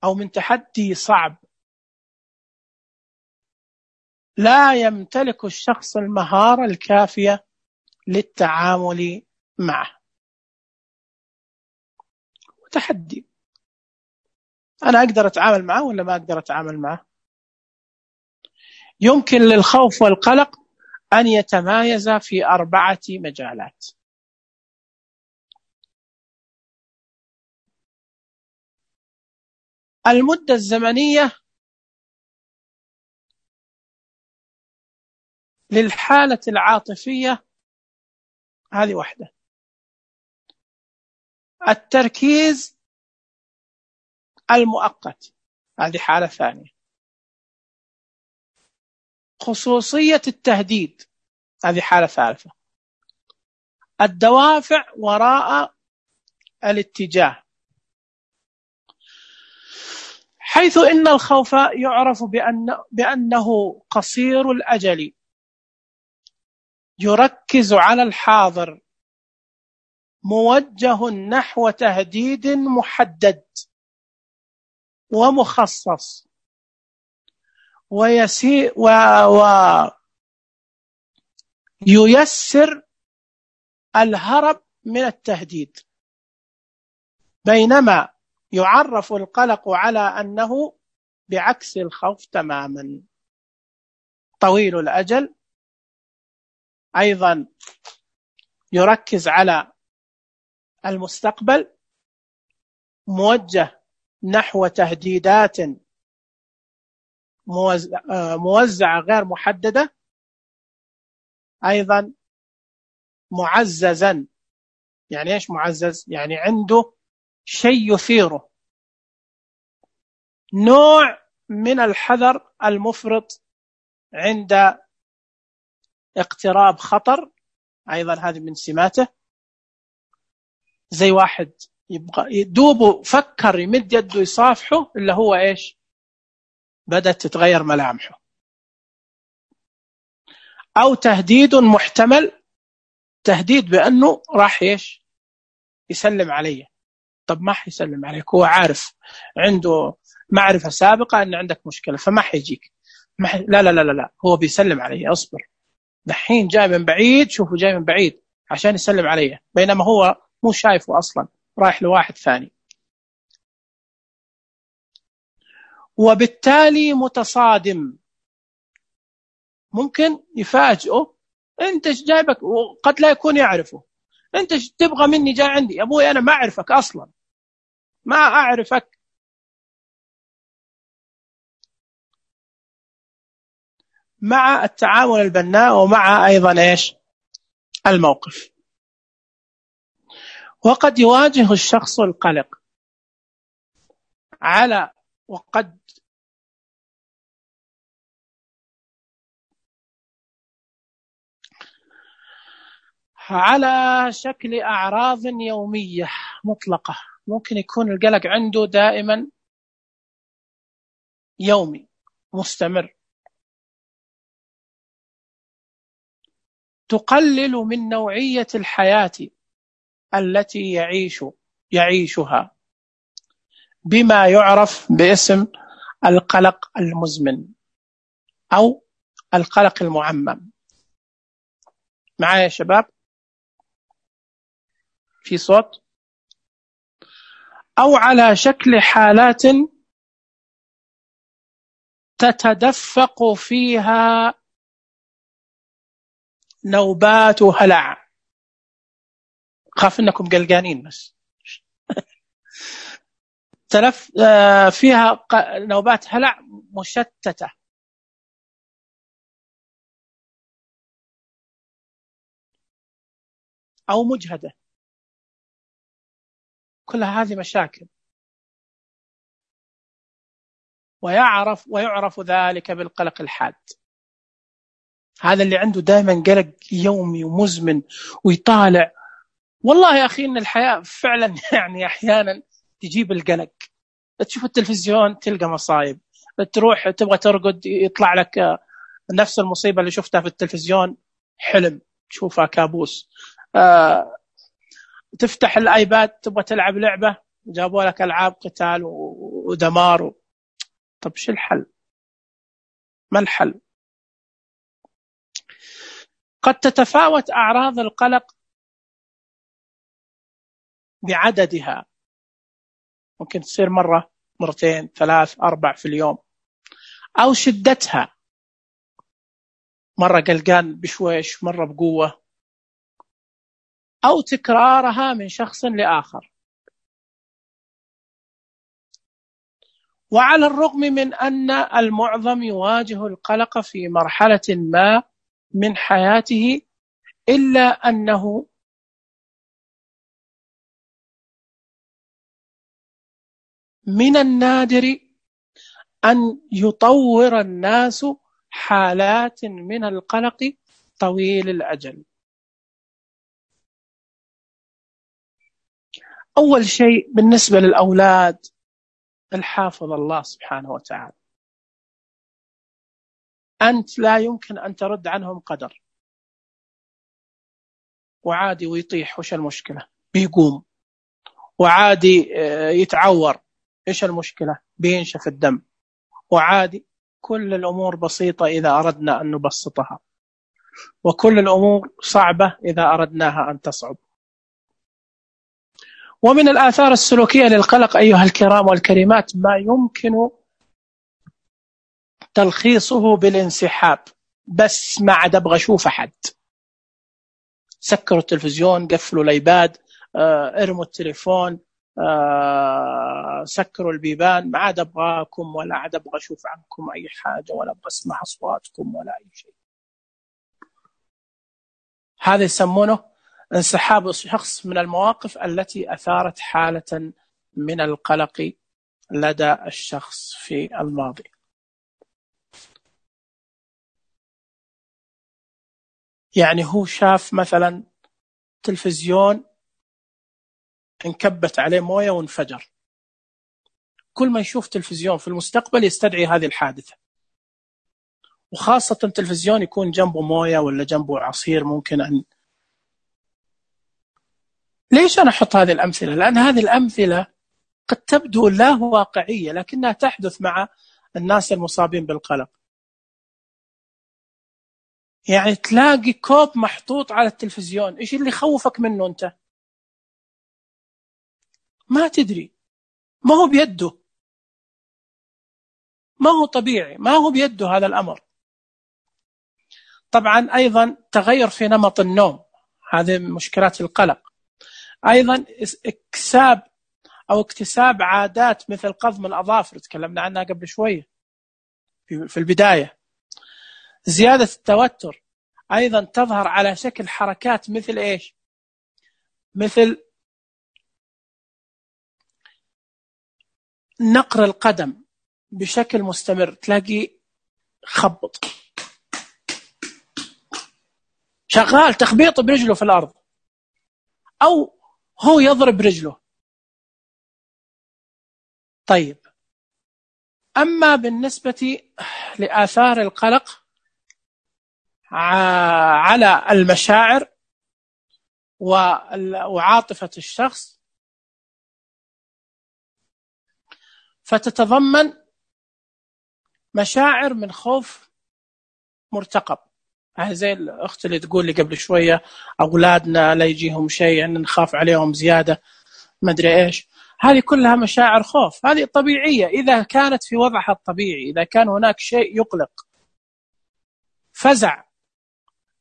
أو من تحدي صعب لا يمتلك الشخص المهارة الكافية للتعامل معه. وتحدي، أنا أقدر أتعامل معه ولا ما أقدر أتعامل معه؟ يمكن للخوف والقلق أن يتمايز في أربعة مجالات. المدة الزمنية للحالة العاطفية، هذه واحدة. التركيز المؤقت، هذه حالة ثانية. خصوصية التهديد، هذه حالة ثالثة. الدوافع وراء الاتجاه، حيث إن الخوف يعرف بأن بأنه قصير الأجل، يركز على الحاضر، موجه نحو تهديد محدد ومخصص، ويسير و... وييسر الهرب من التهديد. بينما يعرف القلق على أنه بعكس الخوف تماما، طويل الأجل، أيضا يركز على المستقبل، موجه نحو تهديدات موزعة غير محددة، أيضا معززا. يعني إيش معزز؟ يعني عنده شيء يثيره، نوع من الحذر المفرط عند اقتراب خطر، أيضا هذه من سماته. زي واحد يبغى يدوبه، فكر يمد يده يصافحه، إلا هو إيش؟ بدأت تتغير ملامحه. أو تهديد محتمل، تهديد بأنه راح إيش؟ يسلم عليه. طب ما حيسلم عليك، هو عارف، عنده معرفة سابقة أن عندك مشكلة، فما حيجيك. ما حي... لا لا لا لا هو بيسلم علي، أصبر، دحين جاي من بعيد، شوفوا جاي من بعيد عشان يسلم علي، بينما هو مو شايفه أصلا، رايح لواحد ثاني. وبالتالي متصادم، ممكن يفاجئه، أنت إيش جايبك، وقد لا يكون يعرفه. أنت إيش تبغى مني؟ جاي عندي يا أبوي، أنا ما أعرفك أصلا، ما أعرفك. مع التعامل البناء، ومع أيضا إيش؟ الموقف. وقد يواجه الشخص القلق على وقد على شكل أعراض يومية مطلقة. ممكن يكون القلق عنده دائما يومي مستمر، تقلل من نوعية الحياة التي يعيش يعيشها، بما يعرف باسم القلق المزمن أو القلق المعمم. معايا يا شباب؟ في صوت؟ أو على شكل حالات تتدفق فيها نوبات وهلع. خاف انكم قلقانين بس. تلف فيها نوبات هلع مشتتة أو مجهدة، كل هذه مشاكل. ويعرف ويعرف ذلك بالقلق الحاد. هذا اللي عنده دائما قلق يومي ومزمن ويطالع. والله يا أخي إن الحياة فعلا يعني أحيانا تجيب القلق. تشوف التلفزيون تلقى مصايب، تروح تبغى ترقد يطلع لك نفس المصيبة اللي شفتها في التلفزيون حلم، تشوفها كابوس. آه، تفتح الآيباد تبغى تلعب لعبة جابوا لك ألعاب قتال ودمار. طب شو الحل؟ ما الحل؟ قد تتفاوت أعراض القلق بعددها، ممكن تصير مرة مرتين ثلاث أربع في اليوم، أو شدتها، مرة قلقان بشويش مرة بقوة، أو تكرارها من شخص لآخر. وعلى الرغم من أن المعظم يواجه القلق في مرحلة ما من حياته، إلا أنه من النادر أن يطور الناس حالات من القلق طويل الأجل. أول شيء بالنسبة للأولاد، الحافظ الله سبحانه وتعالى. أنت لا يمكن أن ترد عنهم قدر، وعادي ويطيح وش المشكلة؟ بيقوم. وعادي يتعور، إيش المشكلة؟ بينشف الدم. وعادي، كل الأمور بسيطة إذا أردنا أن نبسطها، وكل الأمور صعبة إذا أردناها أن تصعب. ومن الآثار السلوكية للقلق أيها الكرام والكريمات ما يمكن تلخيصه بالانسحاب. بس ما عاد أبغى أشوف أحد. سكروا التلفزيون، قفلوا الأيباد، ارموا التليفون، سكروا البيبان، ما عاد أبغاكم ولا عاد أبغى أشوف عنكم أي حاجة ولا أبغى أسمع أصواتكم ولا أي شيء. هذا يسمونه انسحاب الشخص من المواقف التي أثارت حالة من القلق لدى الشخص في الماضي. يعني هو شاف مثلا تلفزيون انكبت عليه موية وانفجر، كل ما يشوف تلفزيون في المستقبل يستدعي هذه الحادثة، وخاصة تلفزيون يكون جنبه موية ولا جنبه عصير ممكن أن. ليش أنا أحط هذه الأمثلة؟ لأن هذه الأمثلة قد تبدو لا واقعية لكنها تحدث مع الناس المصابين بالقلق. يعني تلاقي كوب محطوط على التلفزيون، إيش اللي يخوفك منه أنت؟ ما تدري، ما هو بيده، ما هو طبيعي، ما هو بيده هذا الأمر. طبعا أيضا تغير في نمط النوم، هذه مشكلات القلق. أيضا اكتساب أو اكتساب عادات مثل قضم الأظافر، تكلمنا عنها قبل شوية في البداية. زيادة التوتر أيضا تظهر على شكل حركات مثل إيش؟ مثل نقر القدم بشكل مستمر، تلاقي خبط شغال تخبيط برجله في الأرض، أو هو يضرب رجله. طيب، أما بالنسبة لآثار القلق على المشاعر وعاطفة الشخص، فتتضمن مشاعر من خوف مرتقب، زي الأخت اللي تقول لي قبل شوية أولادنا لا يجيهم شيء يعني نخاف عليهم زيادة ما أدري إيش. هذه كلها مشاعر خوف، هذه طبيعية إذا كانت في وضعها الطبيعي. إذا كان هناك شيء يقلق، فزع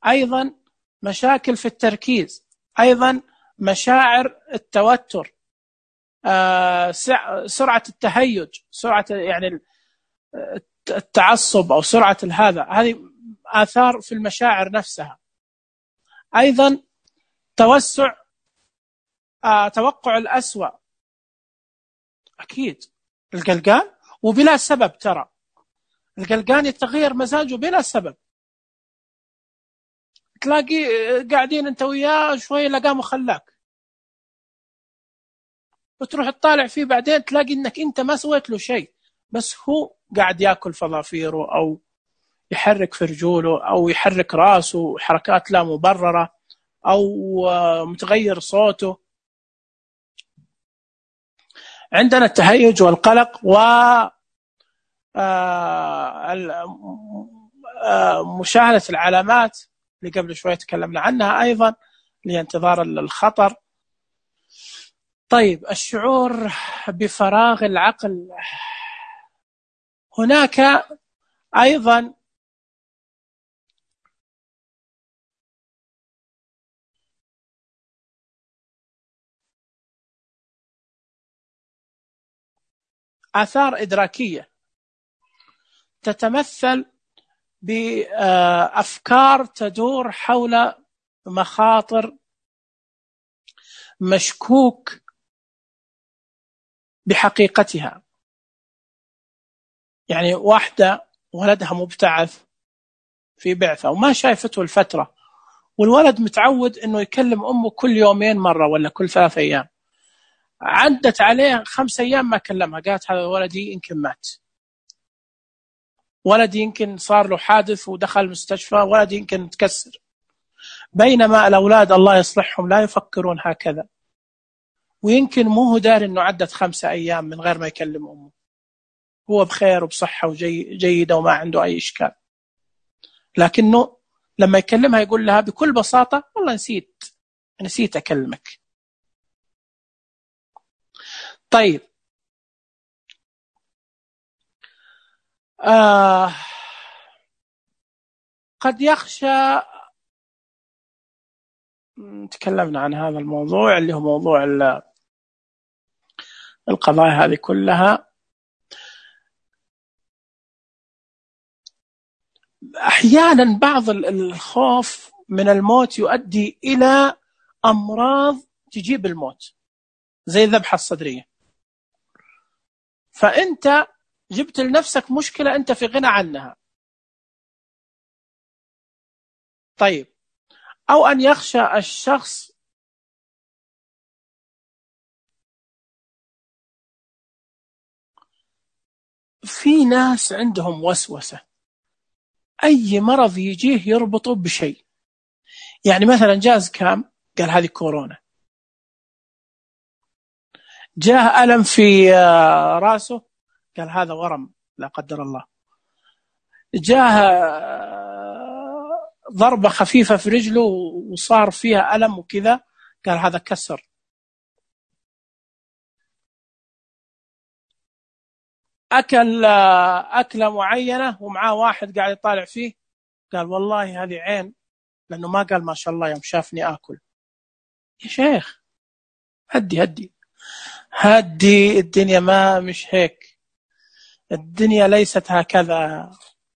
أيضا مشاكل في التركيز، أيضا مشاعر التوتر، آه سرعة التهيج، سرعة يعني التعصب أو سرعة هذا، هذه آثار في المشاعر نفسها. أيضا توسع آه توقع الأسوأ، أكيد القلقان وبلا سبب، ترى القلقان يتغير مزاجه بلا سبب، تلاقي قاعدين انت وياه شوي لقام وخلاك، وتروح تطالع فيه بعدين تلاقي انك انت ما سويت له شيء، بس هو قاعد ياكل فضافيره او يحرك في رجوله او يحرك راسه حركات لا مبررة او متغير صوته. عندنا التهيج والقلق و مشاهدة العلامات اللي قبل شوي تكلمنا عنها أيضا لانتظار الخطر. طيب الشعور بفراغ العقل، هناك أيضا آثار إدراكية تتمثل بأفكار تدور حول مخاطر مشكوك بحقيقتها، يعني واحدة ولدها مبتعث في بعثة وما شايفته الفترة، والولد متعود أنه يكلم أمه كل يومين مرة ولا كل ثلاث أيام، عدت عليه خمس أيام ما كلمها، قالت هذا ولدي يمكن مات، ولدي يمكن صار له حادث ودخل المستشفى، ولدي يمكن تكسر. بينما الأولاد الله يصلحهم لا يفكرون هكذا، ويمكن مو هو داري أنه عدت خمسة أيام من غير ما يكلم أمه، هو بخير وبصحة وجيدة وما عنده أي إشكال، لكنه لما يكلمها يقول لها بكل بساطة والله نسيت نسيت أكلمك. طيب آه قد يخشى، تكلمنا عن هذا الموضوع اللي هو موضوع القضايا هذه كلها. أحيانا بعض الخوف من الموت يؤدي إلى أمراض تجيب الموت زي الذبحة الصدرية، فأنت جبت لنفسك مشكلة أنت في غنى عنها. طيب أو أن يخشى الشخص في ناس عندهم وسوسة، أي مرض يجيه يربطه بشيء، يعني مثلا جاز كام قال هذه كورونا، جاه ألم في راسه قال هذا ورم لا قدر الله، جاه ضربة خفيفة في رجله وصار فيها ألم وكذا قال هذا كسر. أكل أكلة معينة ومعاه واحد قاعد يطالع فيه قال والله هذه عين، لأنه ما قال ما شاء الله يوم شافني آكل. يا شيخ هدي هدي هدي، الدنيا ما مش هيك، الدنيا ليست هكذا،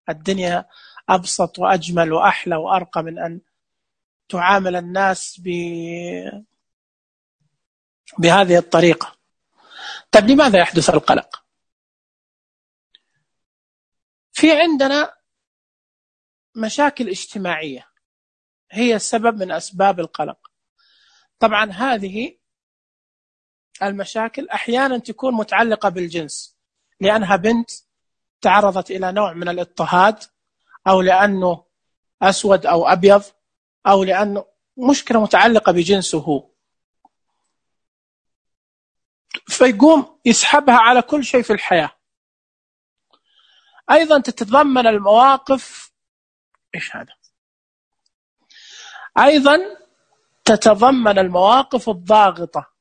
الدنيا أبسط وأجمل وأحلى وأرقى من أن تعامل الناس ب... بهذه الطريقة. طيب لماذا يحدث القلق؟ في عندنا مشاكل اجتماعية هي السبب من أسباب القلق. طبعا هذه المشاكل أحيانا تكون متعلقة بالجنس، لأنها بنت تعرضت إلى نوع من الاضطهاد، أو لأنه أسود أو أبيض، أو لأنه مشكلة متعلقة بجنسه هو، فيقوم يسحبها على كل شيء في الحياة. أيضا تتضمن المواقف إيش هذا أيضا تتضمن المواقف الضاغطة،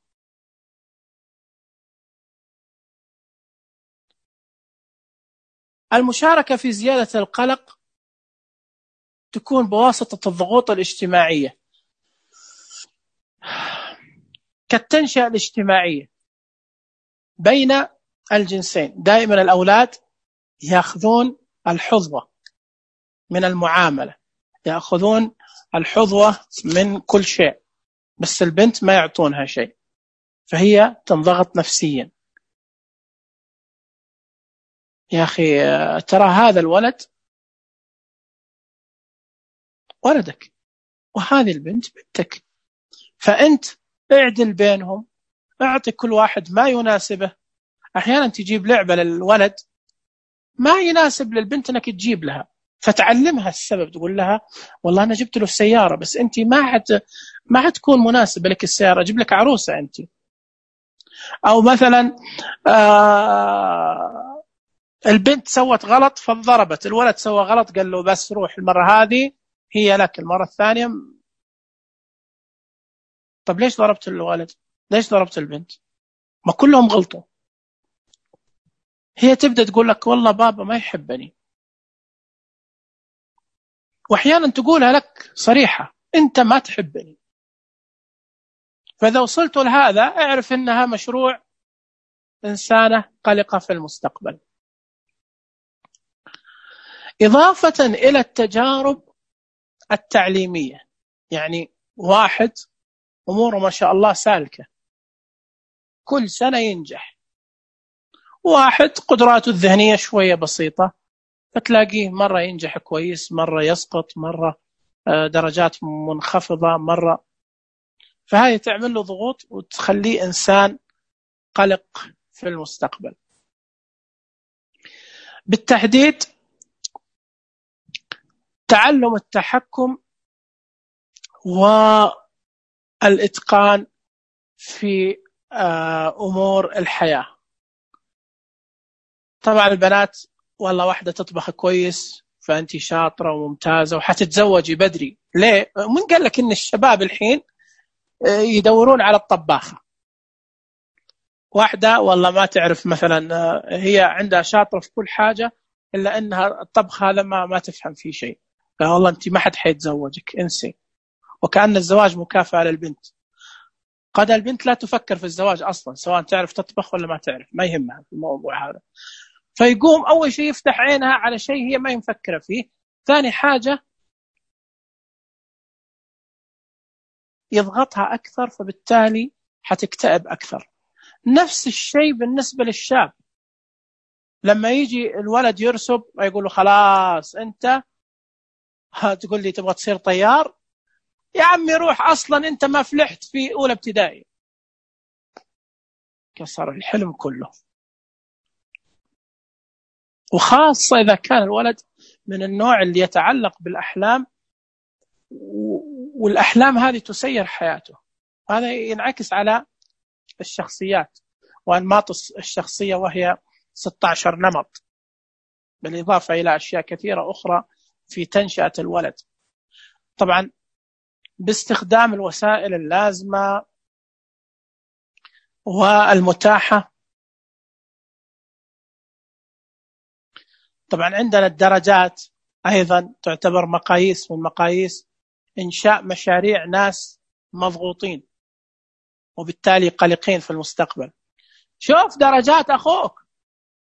المشاركة في زيادة القلق تكون بواسطة الضغوط الاجتماعية كالتنشئة الاجتماعية بين الجنسين. دائما الأولاد يأخذون الحظوة من المعاملة، يأخذون الحظوة من كل شيء، بس البنت ما يعطونها شيء، فهي تنضغط نفسيا. يا أخي ترى هذا الولد ولدك وهذه البنت بنتك، فأنت اعدل بينهم، اعطي كل واحد ما يناسبه. أحيانا تجيب لعبة للولد ما يناسب للبنت أنك تجيب لها، فتعلمها السبب، تقول لها والله أنا جبت له السيارة بس أنت ما حت ما حتكون مناسبة لك السيارة، أجيب لك عروسة أنت. أو مثلا آه البنت سوت غلط فضربت، الولد سوى غلط قال له بس روح المرة هذه هي لك، المرة الثانية. طب ليش ضربت الولد؟ ليش ضربت البنت؟ ما كلهم غلطوا. هي تبدأ تقول لك والله بابا ما يحبني، وأحيانا تقولها لك صريحة أنت ما تحبني. فإذا وصلت لهذا اعرف أنها مشروع إنسانة قلقة في المستقبل. إضافة إلى التجارب التعليمية، يعني واحد أموره ما شاء الله سالكة كل سنة ينجح، واحد قدراته الذهنية شوية بسيطة فتلاقيه مرة ينجح كويس، مرة يسقط، مرة درجات منخفضة، مرة. فهذه تعمل له ضغوط وتخليه إنسان قلق في المستقبل. بالتحديد تعلم التحكم والإتقان في أمور الحياة. طبعا البنات والله واحدة تطبخ كويس فأنت شاطرة وممتازة وحتتزوجي بدري. ليه؟ من قال لك إن الشباب الحين يدورون على الطباخة؟ واحدة والله ما تعرف مثلا، هي عندها شاطرة في كل حاجة إلا أنها الطبخ هذا ما ما تفهم فيه شيء، والله أنت ما حد حيتزوجك، انسي. وكأن الزواج مكافأة للبنت. قد البنت لا تفكر في الزواج أصلا، سواء تعرف تطبخ ولا ما تعرف، ما يهمها في الموضوع هذا. فيقوم أول شيء يفتح عينها على شيء هي ما مفكرة فيه، ثاني حاجة يضغطها أكثر، فبالتالي حتكتئب أكثر. نفس الشيء بالنسبة للشاب، لما يجي الولد يرسب ويقول له خلاص أنت تقول لي تبغى تصير طيار، يا عمي روح، أصلا أنت ما فلحت في أولى ابتدائي. كسر الحلم كله. وخاصة إذا كان الولد من النوع اللي يتعلق بالأحلام، والأحلام هذه تسير حياته. هذا ينعكس على الشخصيات وأنماط الشخصية، وهي ستة عشر نمط، بالإضافة إلى أشياء كثيرة أخرى في تنشئة الولد. طبعا باستخدام الوسائل اللازمة والمتاحة. طبعا عندنا الدرجات أيضا تعتبر مقاييس من مقاييس إنشاء مشاريع ناس مضغوطين وبالتالي قلقين في المستقبل. شوف درجات أخوك.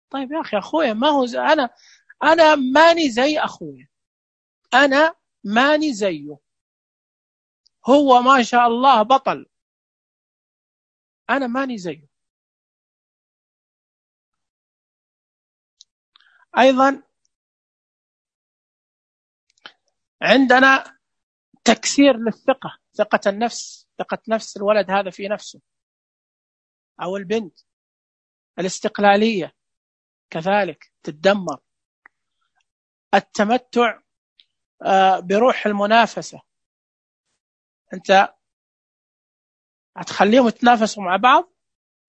طيب يا أخي أخويا ما هو زي أنا، أنا ماني زي أخويا، أنا ماني زيه، هو ما شاء الله بطل، أنا ماني زيه. أيضا عندنا تكسير للثقة، ثقة النفس، ثقة نفس الولد هذا في نفسه أو البنت. الاستقلالية كذلك تتدمر. التمتع بروح المنافسة، أنت هتخليهم يتنافسوا مع بعض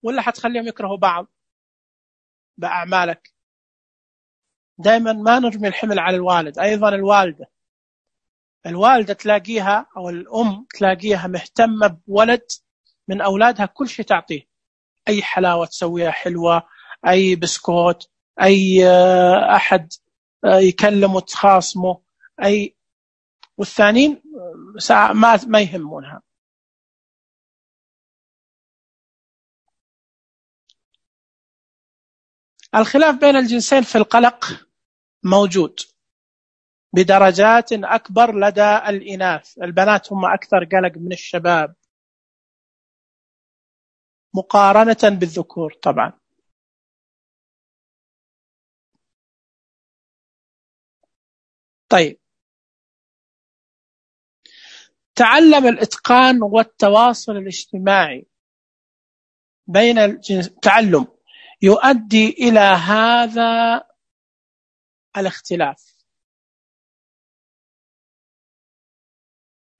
ولا هتخليهم يكرهوا بعض بأعمالك؟ دائما ما نرمي الحمل على الوالد. أيضا الوالدة، الوالدة تلاقيها أو الأم تلاقيها مهتمة بولد من أولادها، كل شيء تعطيه، أي حلاوة تسويها حلوة، أي بسكوت، أي أحد يكلمه تخاصمه، أي والثانيين ما ما يهمونها. الخلاف بين الجنسين في القلق موجود بدرجات أكبر لدى الإناث. البنات هم أكثر قلق من الشباب مقارنة بالذكور طبعا. طيب، تعلم الإتقان والتواصل الاجتماعي بين الجنس، تعلم يؤدي إلى هذا الاختلاف.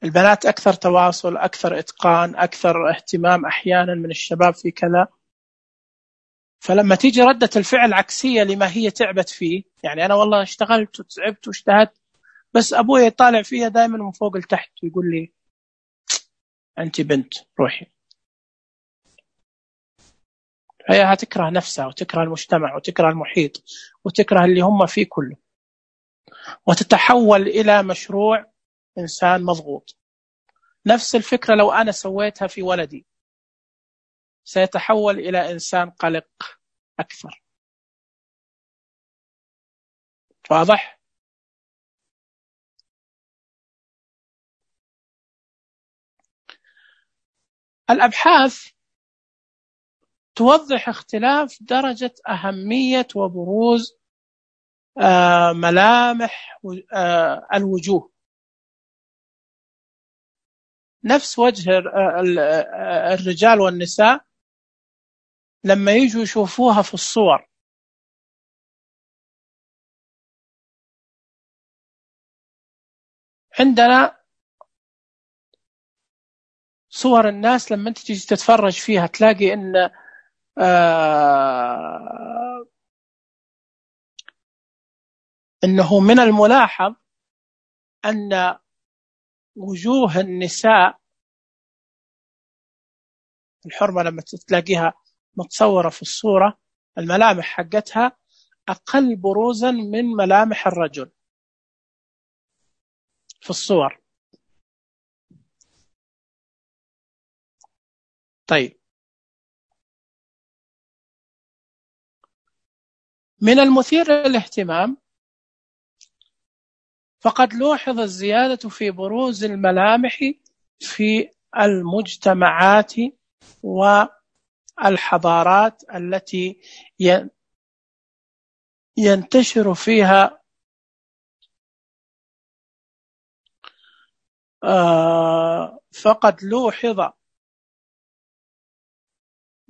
البنات أكثر تواصل، أكثر إتقان، أكثر اهتمام أحيانا من الشباب في كذا. فلما تيجي ردة الفعل عكسية لما هي تعبت فيه، يعني أنا والله اشتغلت وتعبت واجتهدت، بس أبوي يطالع فيها دائما من فوق لتحت ويقول لي أنت بنت روحي. هي هتكره نفسها وتكره المجتمع وتكره المحيط وتكره اللي هم فيه كله، وتتحول إلى مشروع إنسان مضغوط. نفس الفكرة لو أنا سويتها في ولدي، سيتحول إلى إنسان قلق أكثر. واضح؟ الأبحاث توضح اختلاف درجة أهمية وبروز آه ملامح آه الوجوه. نفس وجه الرجال والنساء لما يجوا يشوفوها في الصور، عندنا صور الناس لما انت تيجي تتفرج فيها تلاقي ان آه انه من الملاحظ ان وجوه النساء الحرمة لما تلاقيها متصورة في الصورة الملامح حقتها أقل بروزا من ملامح الرجل في الصور. طيب، من المثير للاهتمام فقد لوحظ الزيادة في بروز الملامح في المجتمعات والحضارات التي ينتشر فيها فقد لوحظ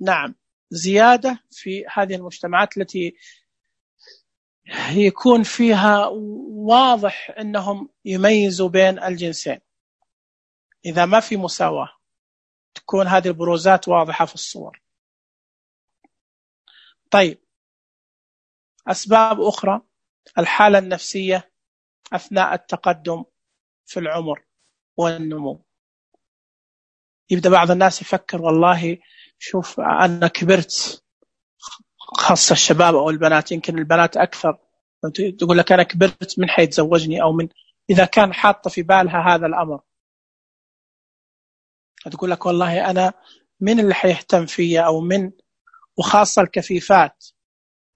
نعم زيادة في هذه المجتمعات التي يكون فيها واضح أنهم يميزوا بين الجنسين. إذا ما في مساواة تكون هذه البروزات واضحة في الصور. طيب، أسباب أخرى، الحالة النفسية أثناء التقدم في العمر والنمو. يبدأ بعض الناس يفكر والله شوف أنا كبرت، خاصة الشباب أو البنات، يمكن البنات أكثر، تقول لك أنا كبرت من حيتزوجني، أو من إذا كان حاطة في بالها هذا الأمر تقول لك والله أنا من اللي حيهتم فيا، أو من، وخاصة الكفيفات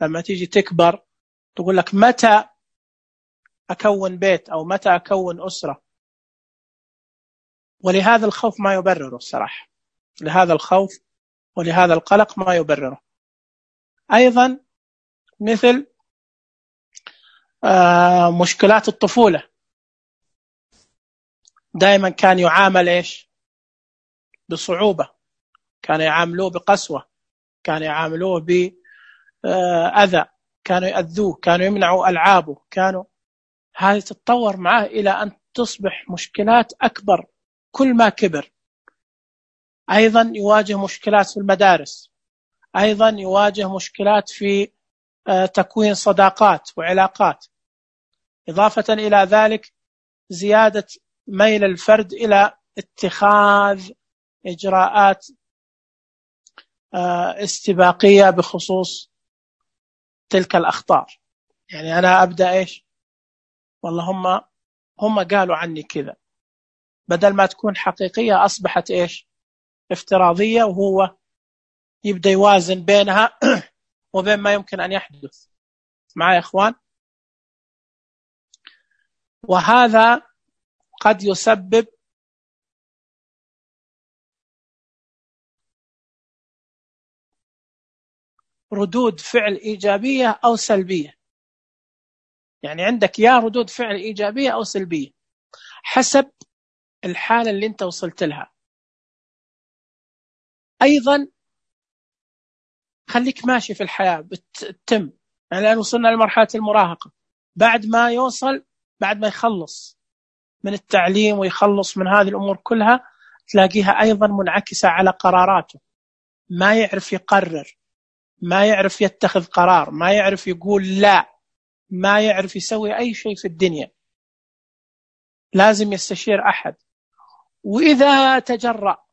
لما تيجي تكبر تقول لك متى أكون بيت أو متى أكون أسرة. ولهذا الخوف ما يبرره الصراحة، لهذا الخوف ولهذا القلق ما يبرره. أيضا مثل آه مشكلات الطفولة، دائما كان يعامل إيش بصعوبة، كانوا يعاملوه بقسوة، كانوا يعاملوه بأذى، كانوا يأذوه، كانوا يمنعوا ألعابه، كانوا هذه تتطور معه إلى أن تصبح مشكلات أكبر كل ما كبر. أيضا يواجه مشكلات في المدارس، أيضا يواجه مشكلات في تكوين صداقات وعلاقات، إضافة إلى ذلك زيادة ميل الفرد إلى اتخاذ إجراءات استباقية بخصوص تلك الأخطار. يعني أنا أبدأ إيش والله هم هم قالوا عني كذا، بدل ما تكون حقيقية أصبحت إيش؟ افتراضية، وهو يبدأ يوازن بينها وبين ما يمكن أن يحدث. معي يا إخوان؟ وهذا قد يسبب ردود فعل إيجابية أو سلبية. يعني عندك يا ردود فعل إيجابية أو سلبية حسب الحالة اللي أنت وصلت لها. أيضا خليك ماشي في الحياة بتتم، يعني الآن وصلنا لمرحلة المراهقة، بعد ما يوصل بعد ما يخلص من التعليم ويخلص من هذه الأمور كلها، تلاقيها أيضا منعكسة على قراراته. ما يعرف يقرر، ما يعرف يتخذ قرار، ما يعرف يقول لا، ما يعرف يسوي أي شيء في الدنيا، لازم يستشير أحد. وإذا تجرأ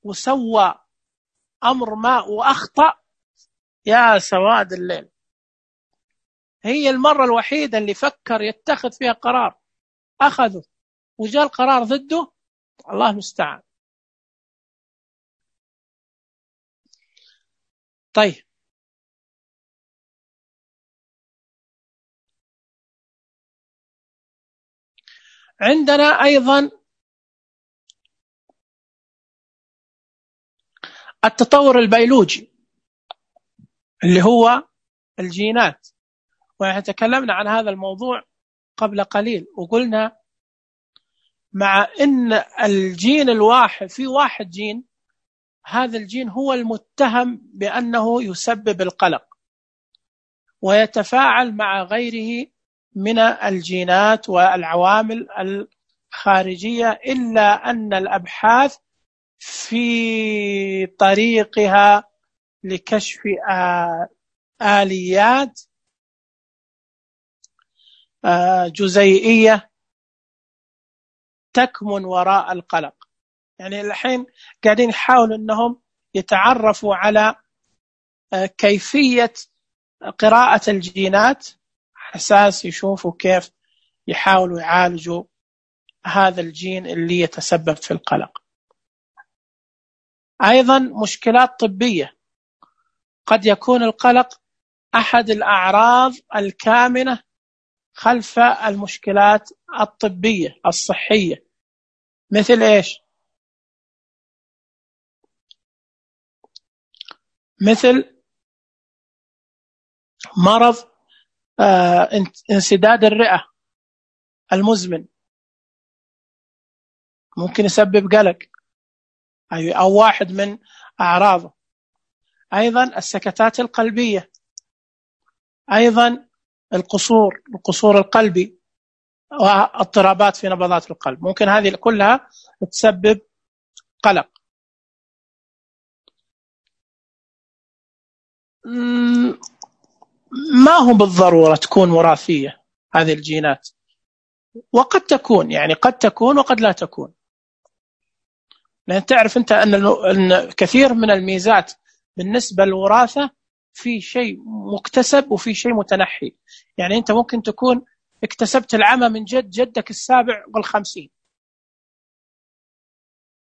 وسوى أمر ما وأخطأ، يا سواد الليل، هي المرة الوحيدة اللي فكر يتخذ فيها قرار أخذه وجاء القرار ضده، الله المستعان. طيب، عندنا أيضا التطور البيولوجي اللي هو الجينات، وتكلمنا عن هذا الموضوع قبل قليل، وقلنا مع أن الجين الواحد في واحد جين، هذا الجين هو المتهم بأنه يسبب القلق ويتفاعل مع غيره من الجينات والعوامل الخارجية، إلا أن الأبحاث في طريقها لكشف آليات جزيئية تكمن وراء القلق. يعني الحين قاعدين يحاولوا أنهم يتعرفوا على كيفية قراءة الجينات، أساس يشوفوا كيف يحاولوا يعالجوا هذا الجين اللي يتسبب في القلق. أيضا مشكلات طبية، قد يكون القلق أحد الأعراض الكامنة خلف المشكلات الطبية الصحية. مثل إيش؟ مثل مرض آه انسداد الرئة المزمن، ممكن يسبب قلق، أو واحد من أعراضه. أيضا السكتات القلبية، أيضا القصور القصور القلبي واضطرابات في نبضات القلب، ممكن هذه كلها تسبب قلق. ما هو بالضرورة تكون وراثية هذه الجينات، وقد تكون، يعني قد تكون وقد لا تكون، لأن تعرف أنت أن كثير من الميزات بالنسبة للوراثة في شيء مكتسب وفي شيء متنحي. يعني أنت ممكن تكون اكتسبت العمى من جد جدك السابع والخمسين،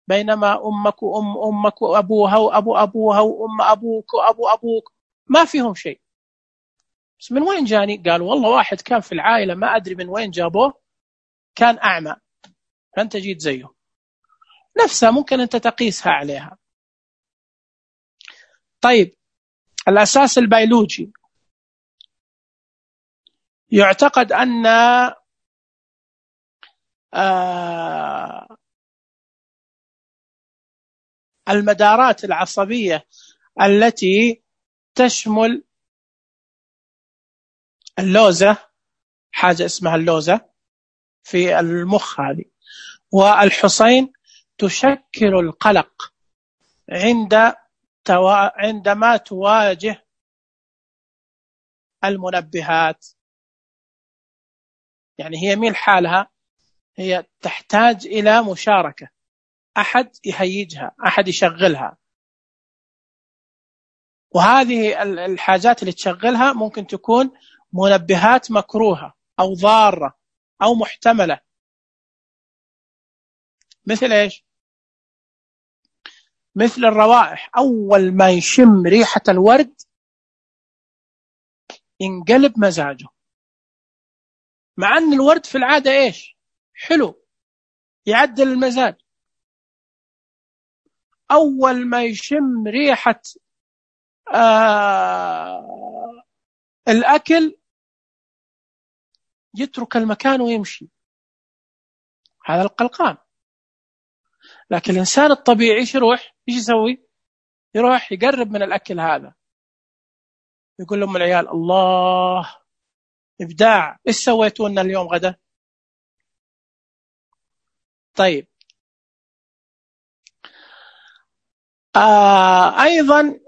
بينما أمك وأم أمك وأبوها وأبو أبوها وأم أبوك وأبو أبوك ما فيهم شيء. بس من وين جاني؟ قالوا والله واحد كان في العائلة ما أدري من وين جابوه كان أعمى، فأنت جيت زيه. نفسها ممكن أنت تقيسها عليها. طيب، الأساس البيولوجي، يعتقد أن آه المدارات العصبية التي تشمل اللوزة، حاجة اسمها اللوزة في المخ هذه، والحصين تشكل القلق عند توا... عندما تواجه المنبهات. يعني هي مين حالها؟ هي تحتاج إلى مشاركة، أحد يهيجها، أحد يشغلها. وهذه الحاجات اللي تشغلها ممكن تكون منبهات مكروهة أو ضارة، أو محتملة. مثل إيش؟ مثل الروائح، أول ما يشم ريحة الورد ينقلب مزاجه، مع أن الورد في العادة إيش؟ حلو، يعدل المزاج. أول ما يشم ريحة آه الأكل يترك المكان ويمشي. هذا القلقان. لكن الإنسان الطبيعي إيش يروح؟ إيش يسوي؟ يروح يقرب من الأكل هذا، يقول لهم العيال الله إبداع، إيش سويتوا لنا اليوم غدا؟ طيب. آه أيضا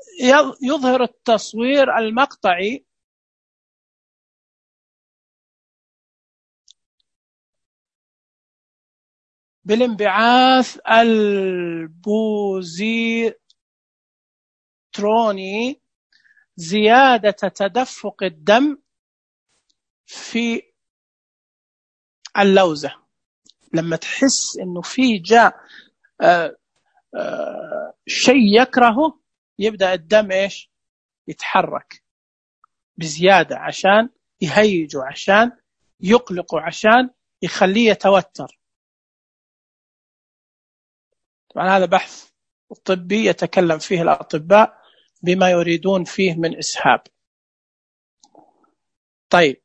يظهر التصوير المقطعي بالانبعاث البوزيتروني زيادة تدفق الدم في اللوزة. لما تحس إنه في جاء آه آه شيء يكرهه، يبدأ الدم إيش؟ يتحرك بزيادة عشان يهيجه، عشان يقلقه، عشان يخليه يتوتر. طبعا هذا بحث طبي يتكلم فيه الأطباء بما يريدون فيه من إسهاب. طيب.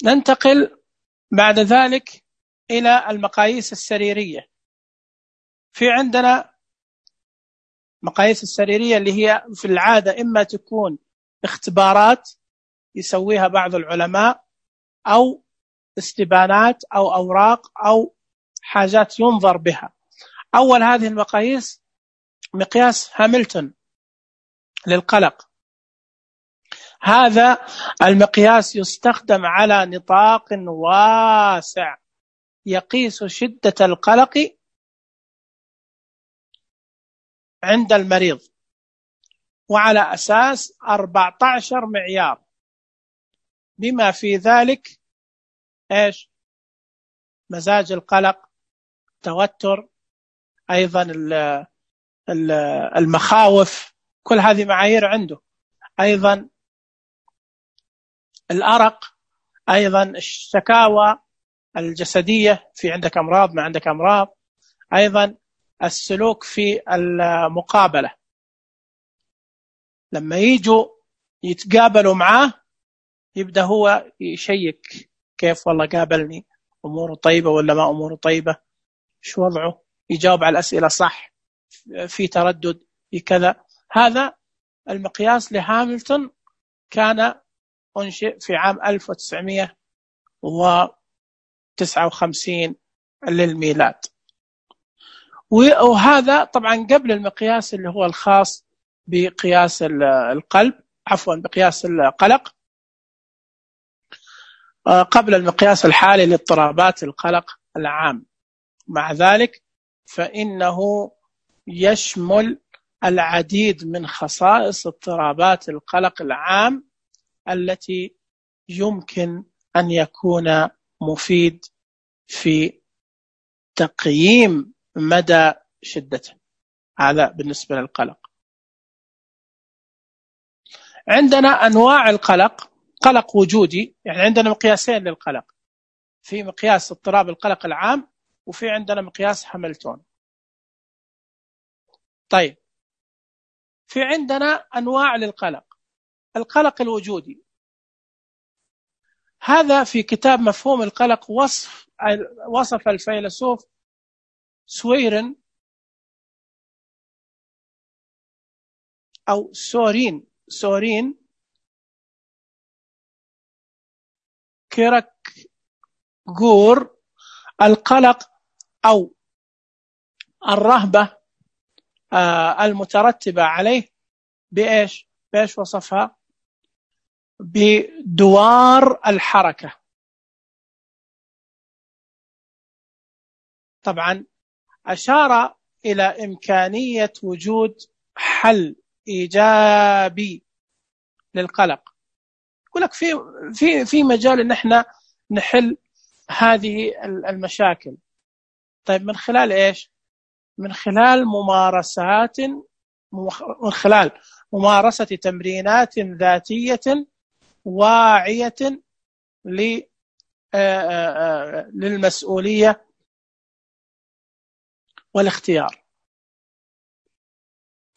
ننتقل بعد ذلك إلى المقاييس السريرية. في عندنا مقاييس السريرية اللي هي في العادة إما تكون اختبارات يسويها بعض العلماء، أو استبانات أو أوراق أو حاجات ينظر بها. أول هذه المقاييس مقياس هاملتون للقلق. هذا المقياس يستخدم على نطاق واسع، يقيس شدة القلق عند المريض، وعلى أساس أربعة عشر معيار، بما في ذلك إيش؟ مزاج القلق، توتر، أيضا المخاوف، كل هذه معايير عنده. أيضا الأرق، أيضا الشكاوى الجسدية، في عندك أمراض ما عندك أمراض. أيضا السلوك في المقابلة، لما يجوا يتقابلوا معاه يبدأ هو يشيك، كيف والله قابلني، أموره طيبة ولا ما أموره طيبة، شو وضعه، يجاوب على الأسئلة صح، في تردد، في كذا. هذا المقياس لهاملتون كان أنشئ في عام ألف وتسعمائة وتسعة وخمسين للميلاد. وهذا طبعا قبل المقياس اللي هو الخاص بقياس القلب، عفوا بقياس القلق، قبل المقياس الحالي لاضطرابات القلق العام. مع ذلك فإنه يشمل العديد من خصائص اضطرابات القلق العام التي يمكن أن يكون مفيد في تقييم مدى شدته. هذا بالنسبة للقلق. عندنا أنواع القلق: قلق وجودي، يعني عندنا مقياسين للقلق، في مقياس اضطراب القلق العام، وفي عندنا مقياس هاملتون. طيب، في عندنا أنواع للقلق. القلق الوجودي، هذا في كتاب مفهوم القلق وصف وصف الفيلسوف سويرن أو سورين سورين كيركغور القلق أو الرهبة المترتبة عليه بإيش؟ بإيش وصفها؟ بدوار الحركة. طبعا أشار إلى إمكانية وجود حل إيجابي للقلق. يقول لك في في في مجال إن إحنا نحل هذه المشاكل. طيب من خلال إيش؟ من خلال ممارسات من خلال ممارسة تمرينات ذاتية واعية للمسؤولية والاختيار.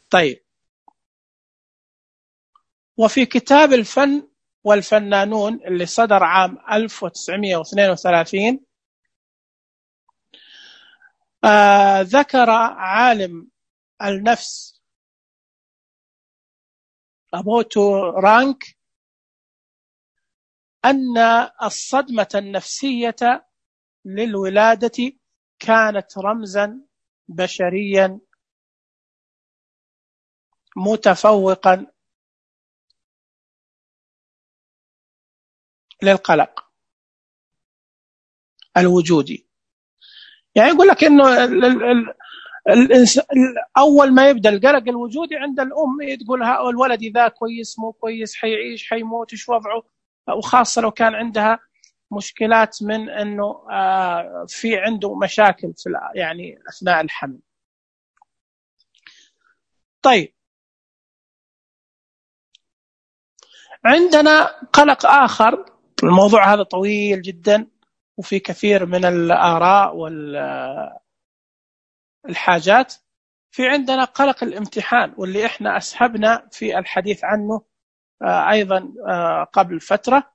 طيب، وفي كتاب الفن والفنانون اللي صدر عام ألف وتسعمائة واثنين وثلاثين آه ذكر عالم النفس أبوتو رانك أن الصدمة النفسية للولادة كانت رمزا بشريا متفوقا للقلق الوجودي. يعني يقول لك إنه الإنسان أول ما يبدأ القلق الوجودي عند الأم، تقول ها الولد ذا كويس مو كويس، حيعيش حيموت، إيش وضعه، وخاصة لو كان عندها مشكلات من إنه في عنده مشاكل في يعني أثناء الحمل. طيب، عندنا قلق آخر. الموضوع هذا طويل جدا وفي كثير من الآراء والحاجات. في عندنا قلق الامتحان، واللي إحنا أسهبنا في الحديث عنه أيضا قبل فترة.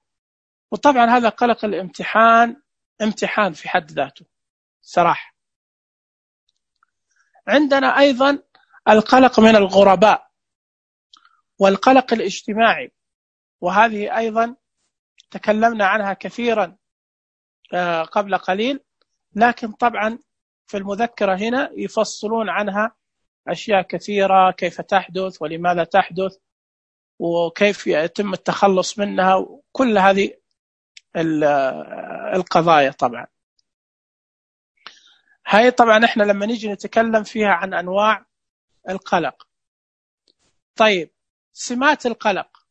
وطبعا هذا قلق الامتحان امتحان في حد ذاته صراحة. عندنا أيضا القلق من الغرباء والقلق الاجتماعي، وهذه أيضا تكلمنا عنها كثيرا قبل قليل، لكن طبعا في المذكرة هنا يفصلون عنها أشياء كثيرة، كيف تحدث ولماذا تحدث وكيف يتم التخلص منها، وكل هذه القضايا. طبعا هاي طبعا احنا لما نيجي نتكلم فيها عن أنواع القلق. طيب، سمات القلق.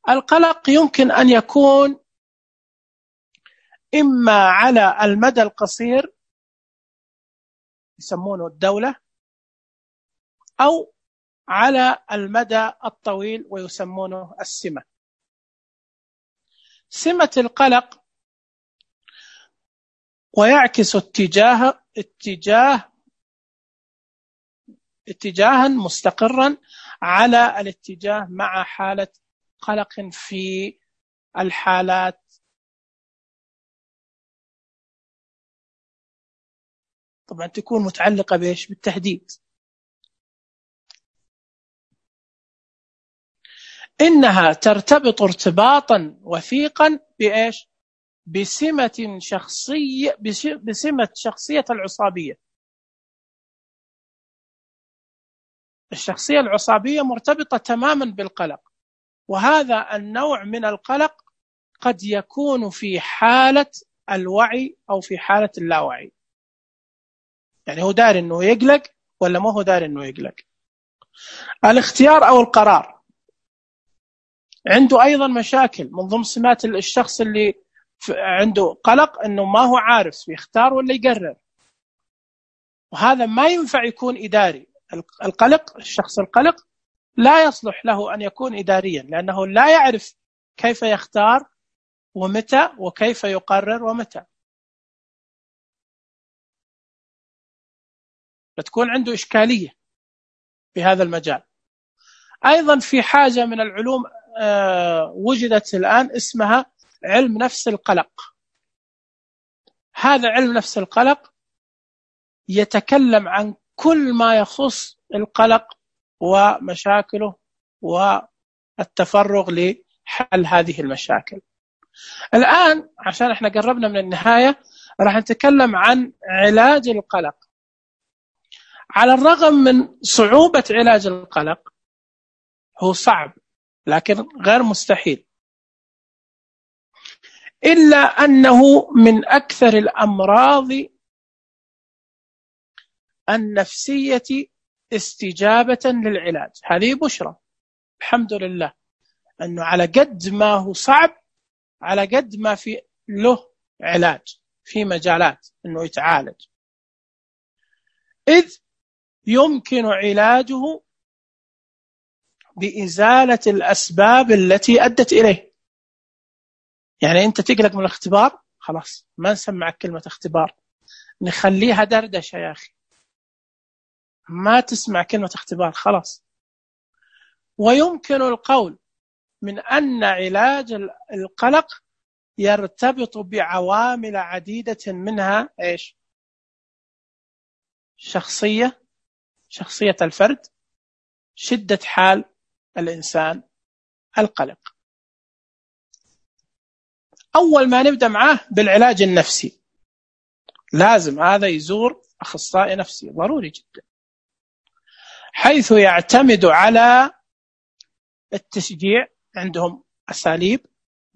القلق يمكن أن يكون إما على المدى القصير يسمونه الدولة، أو على المدى الطويل ويسمونه السمة. سمة القلق ويعكس اتجاه اتجاه اتجاها مستقرا على الاتجاه مع حالة قلق في الحالات طبعا تكون متعلقة بإيش؟ بالتهديد. إنها ترتبط ارتباطا وثيقا بإيش؟ بسمة شخصية بسمة شخصية العصابية. الشخصية العصابية مرتبطة تماما بالقلق، وهذا النوع من القلق قد يكون في حالة الوعي أو في حالة اللاوعي. يعني هو داري إنه يقلق ولا ما هو داري إنه يقلق. الاختيار أو القرار. عنده أيضا مشاكل. من ضمن سمات الشخص اللي عنده قلق إنه ما هو عارف يختار ولا يقرر، وهذا ما ينفع يكون إداري. القلق الشخص القلق لا يصلح له أن يكون إداريا، لأنه لا يعرف كيف يختار ومتى وكيف يقرر ومتى. بتكون عنده إشكالية في هذا المجال. أيضا في حاجة من العلوم وجدت الآن اسمها علم نفس القلق. هذا علم نفس القلق يتكلم عن كل ما يخص القلق ومشاكله والتفرغ لحل هذه المشاكل. الآن عشان احنا قربنا من النهاية راح نتكلم عن علاج القلق. على الرغم من صعوبة علاج القلق، هو صعب لكن غير مستحيل، إلا أنه من أكثر الأمراض النفسية استجابة للعلاج. هذه بشرى الحمد لله، أنه على قد ما هو صعب على قد ما في له علاج في مجالات أنه يتعالج، إذ يمكن علاجه بإزالة الأسباب التي أدت إليه. يعني أنت تقلق من الاختبار، خلاص ما نسمعك كلمة اختبار، نخليها دردشة يا أخي، ما تسمع كلمة اختبار خلاص. ويمكن القول من أن علاج القلق يرتبط بعوامل عديدة، منها إيش؟ شخصية شخصية الفرد، شدة حال الإنسان، القلق. أول ما نبدأ معاه بالعلاج النفسي، لازم هذا يزور أخصائي نفسي ضروري جدا، حيث يعتمد على التشجيع. عندهم أساليب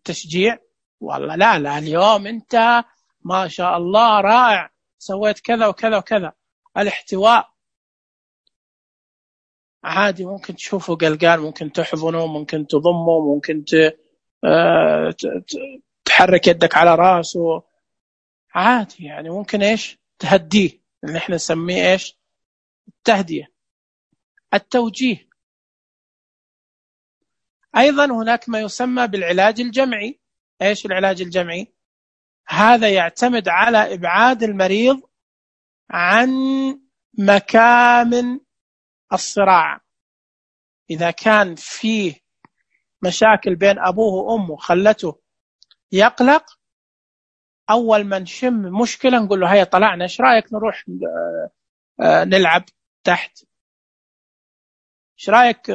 تشجيع، والله لا لا اليوم أنت ما شاء الله رائع، سويت كذا وكذا وكذا. الاحتواء عادي، ممكن تشوفه قلقان، ممكن تحضنه، ممكن تضمه، ممكن تحرك يدك على راسه عادي، يعني ممكن إيش تهديه، اللي احنا نسميه إيش التهدئة. التوجيه أيضا، هناك ما يسمى بالعلاج الجمعي. إيش العلاج الجمعي؟ هذا يعتمد على إبعاد المريض عن مكامن الصراع. إذا كان فيه مشاكل بين أبوه وأمه خلته يقلق، أول ما نشم مشكلة نقول له هيا طلعنا، إيش رأيك نروح نلعب تحت، إيش رأيك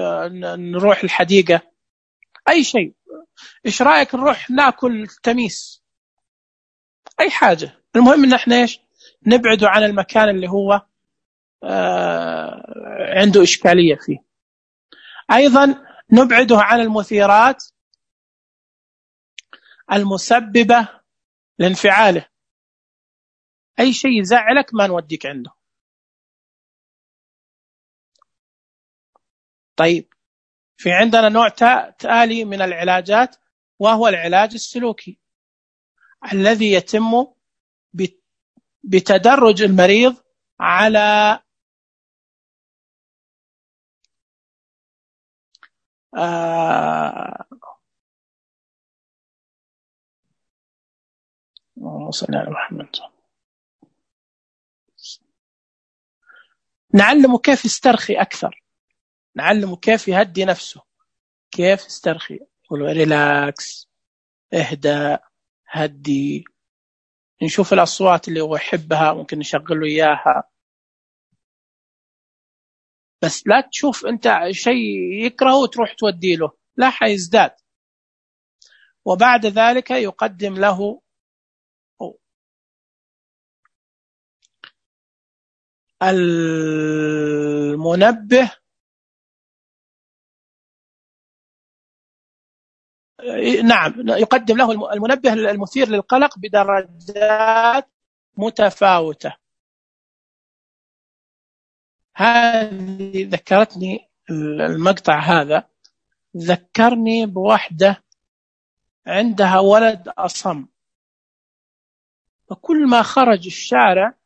نروح الحديقة، أي شيء، إيش رأيك نروح ناكل تميس، أي حاجة. المهم إن إحنا إيش نبعده عن المكان اللي هو آه عنده إشكالية فيه. أيضا نبعده عن المثيرات المسببة لانفعاله، أي شيء يزعلك ما نوديك عنده. طيب، في عندنا نوع تالي من العلاجات، وهو العلاج السلوكي، الذي يتم بتدرج المريض على آه صلى على محمد، نعلمه كيف يسترخي أكثر، نعلمه كيف يهدي نفسه، كيف يسترخي، يقول ريلاكس، اهدى، هدي. نشوف الأصوات اللي هو يحبها ممكن نشغل له إياها، بس لا تشوف أنت شيء يكرهه وتروح تودي له، لا حيزداد. وبعد ذلك يقدم له المنبه، نعم يقدم له المنبه المثير للقلق بدرجات متفاوتة. هذه ذكرتني المقطع هذا، ذكرني بواحدة عندها ولد أصم، وكل ما خرج الشارع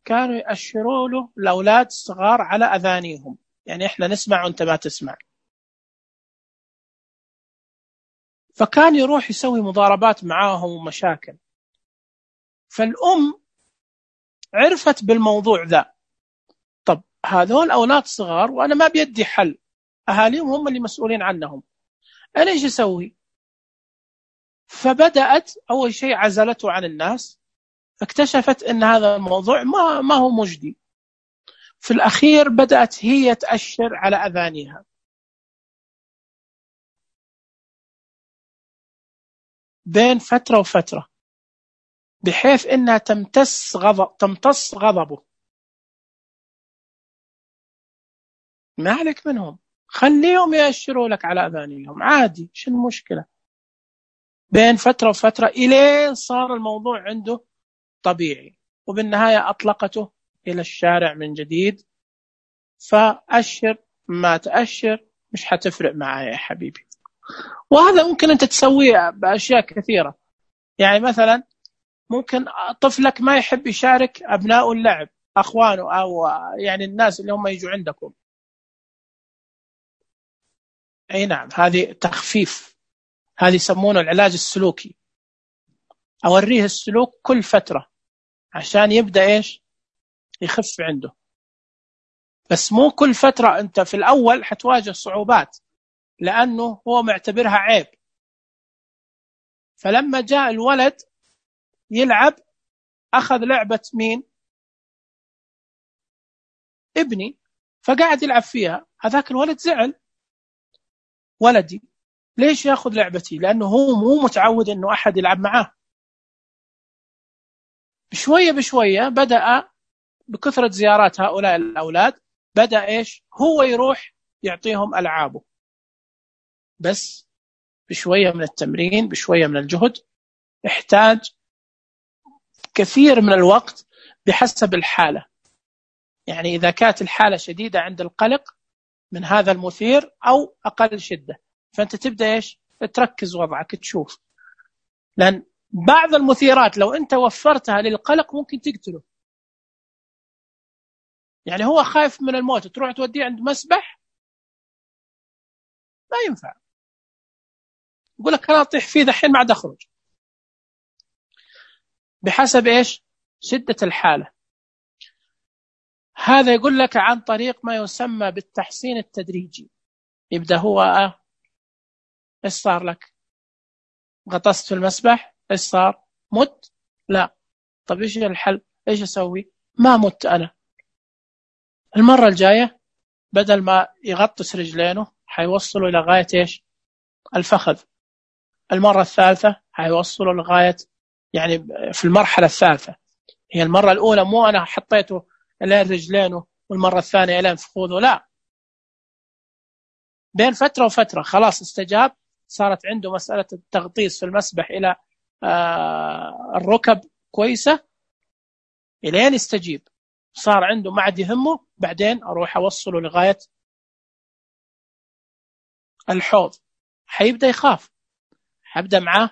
كانوا يأشروا له الأولاد الصغار على أذانيهم، يعني إحنا نسمع وأنت ما تسمع. فكان يروح يسوي مضاربات معاهم ومشاكل. فالأم عرفت بالموضوع ذا، طب هذول أولاد صغار وأنا ما بيدي حل، أهاليهم هم اللي مسؤولين عنهم، أنا إيش أسوي؟ فبدأت أول شيء عزلته عن الناس، اكتشفت أن هذا الموضوع ما, ما هو مجدي. في الأخير بدأت هي تأشر على أذانها بين فترة وفترة، بحيث أنها تمتص غضب تمتص غضبه. ما عليك منهم، خليهم يأشروا لك على أذانهم عادي، شو المشكلة؟ بين فترة وفترة إلين صار الموضوع عنده طبيعي، وبالنهاية أطلقته إلى الشارع من جديد. فأشر ما تأشر مش حتفرق معايا يا حبيبي. وهذا ممكن أنت تسويه بأشياء كثيرة. يعني مثلا ممكن طفلك ما يحب يشارك أبناء اللعب، أخوانه أو يعني الناس اللي هم يجوا عندكم. أي نعم، هذه تخفيف، هذه يسمونه العلاج السلوكي. أوريه السلوك كل فترة عشان يبدأ إيش يخف عنده. بس مو كل فترة. أنت في الأول حتواجه صعوبات لأنه هو معتبرها عيب. فلما جاء الولد يلعب أخذ لعبة مين؟ ابني، فقاعد يلعب فيها. هذاك الولد زعل، ولدي ليش يأخذ لعبتي؟ لأنه هو مو متعود أنه أحد يلعب معاه. بشوية بشوية بدأ بكثرة زيارات هؤلاء الأولاد بدأ إيش هو يروح يعطيهم ألعابه. بس بشوية من التمرين، بشوية من الجهد، يحتاج كثير من الوقت بحسب الحالة. يعني إذا كانت الحالة شديدة عند القلق من هذا المثير أو أقل شدة، فأنت تبدأ إيش تركز وضعك تشوف. لأن بعض المثيرات لو أنت وفرتها للقلق ممكن تقتله. يعني هو خايف من الموت، تروح توديه عند مسبح ما ينفع. يقول لك أنا أطيح فيه دحين ما عاد أخرج. بحسب إيش شدة الحالة. هذا يقول لك عن طريق ما يسمى بالتحسين التدريجي. يبدأ هو آه إيش صار لك؟ غطست في المسبح، إيش صار؟ مت؟ لا. طب إيش الحل؟ إيش أسوي؟ ما مت أنا. المرة الجاية بدل ما يغطس رجلينه حيوصلوا إلى غاية إيش الفخذ. المرة الثالثة حيوصلوا لغاية يعني في المرحلة الثالثة. هي المرة الأولى مو أنا حطيته إلى رجلينه والمرة الثانية إلى فخوذه، لا. بين فترة وفترة خلاص استجاب، صارت عنده مسألة التغطيس في المسبح إلى آه الركب كويسة إلين يستجيب. صار عنده ما عاد يهمه، بعدين أروح أوصله لغاية الحوض. حيبدأ يخاف، حبدأ معاه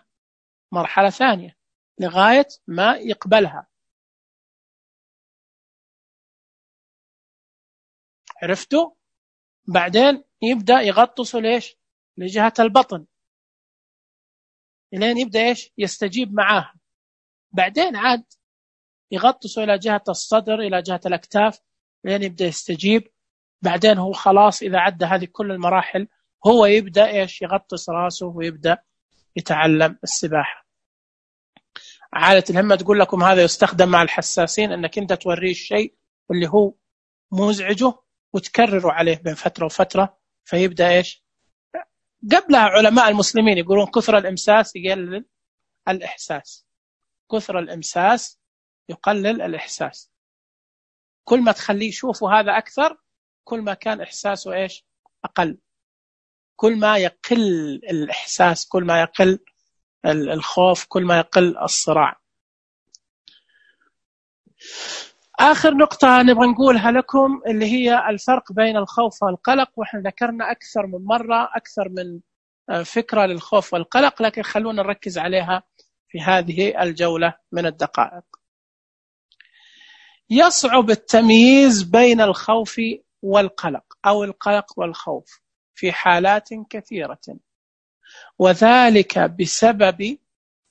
مرحلة ثانية لغاية ما يقبلها. عرفتوا؟ بعدين يبدأ يغطسه ليش لجهة البطن لين يبدأ إيش يستجيب معاها. بعدين عاد يغطسه إلى جهة الصدر إلى جهة الأكتاف لين يبدأ يستجيب. بعدين هو خلاص إذا عدى هذه كل المراحل هو يبدأ إيش يغطس راسه ويبدأ يتعلم السباحة. عالة الهمة تقول لكم هذا يستخدم مع الحساسين، أنك أنت توريه الشيء اللي هو مزعجه وتكرره عليه بين فترة وفترة فيبدأ إيش. قبلها علماء المسلمين يقولون كثر الإمساس يقلل الإحساس. كثر الإمساس يقلل الإحساس. كل ما تخليه يشوفه هذا أكثر كل ما كان إحساسه إيش أقل. كل ما يقل الإحساس كل ما يقل الخوف كل ما يقل الصراع. آخر نقطة نبغى نقولها لكم اللي هي الفرق بين الخوف والقلق. وإحنا ذكرنا أكثر من مرة أكثر من فكرة للخوف والقلق، لكن خلونا نركز عليها في هذه الجولة من الدقائق. يصعب التمييز بين الخوف والقلق أو القلق والخوف في حالات كثيرة، وذلك بسبب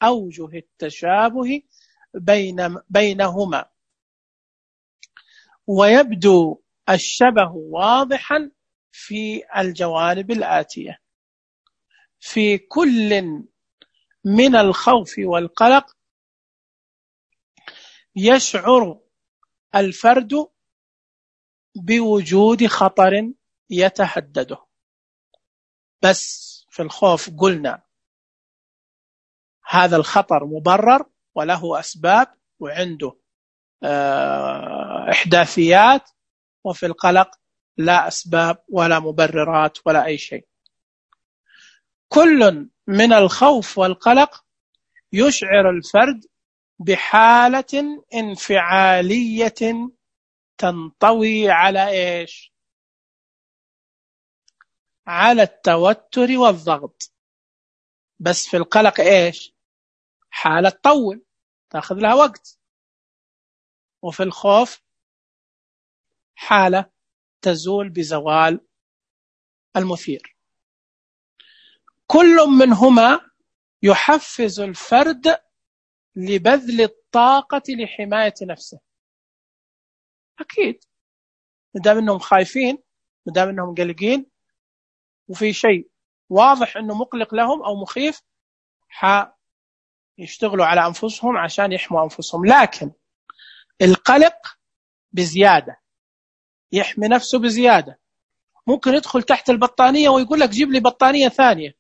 أوجه التشابه بين بينهما، ويبدو الشبه واضحا في الجوانب الآتية. في كل من الخوف والقلق يشعر الفرد بوجود خطر يتهدده. بس في الخوف قلنا هذا الخطر مبرر وله أسباب وعنده إحداثيات، وفي القلق لا أسباب ولا مبررات ولا أي شيء. كل من الخوف والقلق يشعر الفرد بحالة انفعالية تنطوي على إيش؟ على التوتر والضغط. بس في القلق إيش؟ حالة تطول تأخذ لها وقت، وفي الخوف حالة تزول بزوال المثير. كل منهما يحفز الفرد لبذل الطاقة لحماية نفسه. أكيد مدام أنهم خايفين، مدام أنهم قلقين، وفي شيء واضح أنه مقلق لهم أو مخيف، يشتغلوا على أنفسهم عشان يحموا أنفسهم. لكن القلق بزيادة يحمي نفسه بزيادة، ممكن يدخل تحت البطانية ويقول لك جيب لي بطانية ثانية،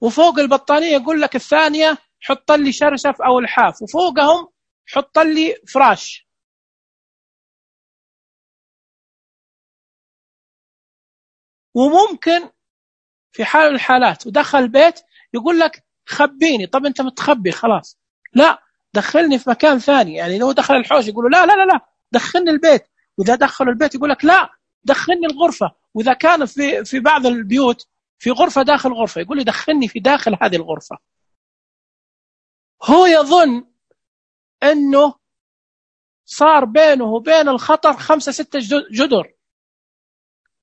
وفوق البطانية يقول لك الثانية حط لي شرشف أو الحاف، وفوقهم حط لي فراش. وممكن في حال الحالات ودخل البيت يقول لك خبيني. طب أنت متخبي خلاص، لا دخلني في مكان ثاني. يعني لو دخل الحوش يقولوا لا لا لا لا دخلني البيت، وإذا دخلوا البيت يقول لك لا دخلني الغرفة، وإذا كان في في بعض البيوت في غرفة داخل غرفة يقول لي دخلني في داخل هذه الغرفة. هو يظن أنه صار بينه وبين الخطر خمسة ستة جدر،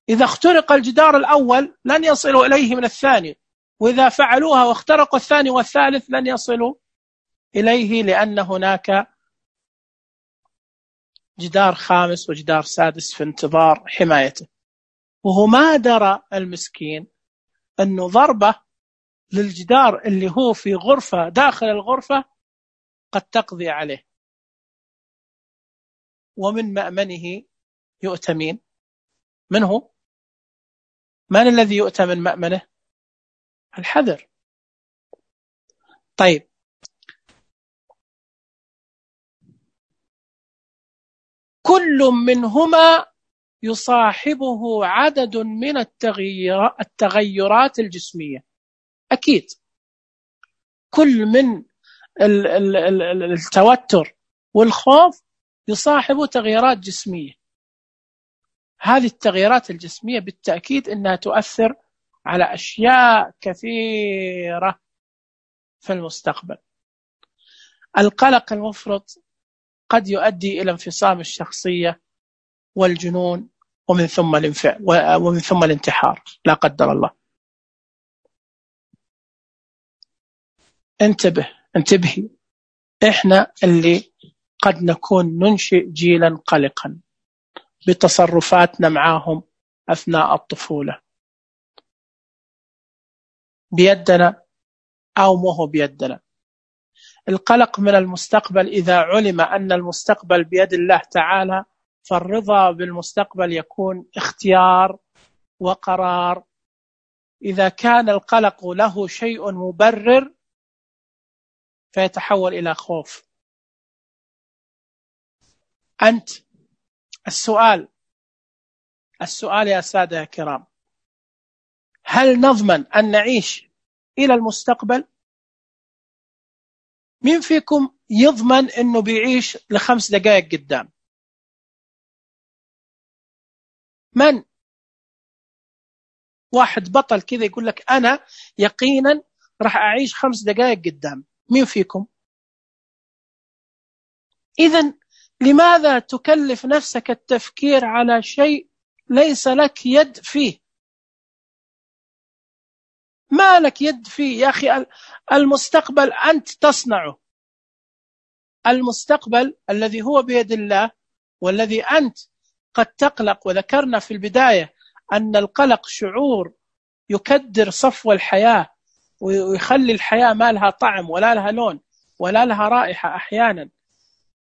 إذا اخترق الجدار الأول لن يصلوا إليه من الثاني، وإذا فعلوها واخترقوا الثاني والثالث لن يصلوا إليه، لأن هناك جدار خامس وجدار سادس في انتظار حمايته. وهو ما درى المسكين أنه ضربة للجدار اللي هو في غرفة داخل الغرفة قد تقضي عليه. ومن مأمنه يؤتمين. من هو؟ من الذي يؤتى من مأمنه؟ الحذر. طيب، كل منهما يصاحبه عدد من التغيرات الجسمية. أكيد كل من التوتر والخوف يصاحبه تغيرات جسمية. هذه التغيرات الجسمية بالتأكيد أنها تؤثر على أشياء كثيرة في المستقبل. القلق المفرط قد يؤدي إلى انفصام الشخصية والجنون، ومن ثم الانفعال ومن ثم الانتحار لا قدر الله. انتبه انتبهي، إحنا اللي قد نكون ننشئ جيلا قلقا بتصرفاتنا معهم أثناء الطفولة. بيدنا أو مو بيدنا. القلق من المستقبل، إذا علم أن المستقبل بيد الله تعالى، فالرضا بالمستقبل يكون اختيار وقرار. إذا كان القلق له شيء مبرر فيتحول إلى خوف. أنت السؤال السؤال يا سادة يا كرام، هل نضمن أن نعيش إلى المستقبل؟ مين فيكم يضمن أنه بيعيش لخمس دقائق قدام؟ من؟ واحد بطل كذا يقول لك أنا يقينا راح أعيش خمس دقائق قدام. مين فيكم؟ إذن لماذا تكلف نفسك التفكير على شيء ليس لك يد فيه؟ ما لك يد فيه يا أخي. المستقبل أنت تصنعه. المستقبل الذي هو بيد الله، والذي أنت قد تقلق. وذكرنا في البداية أن القلق شعور يكدر صفو الحياة، ويخلي الحياة ما لها طعم ولا لها لون ولا لها رائحة. أحيانا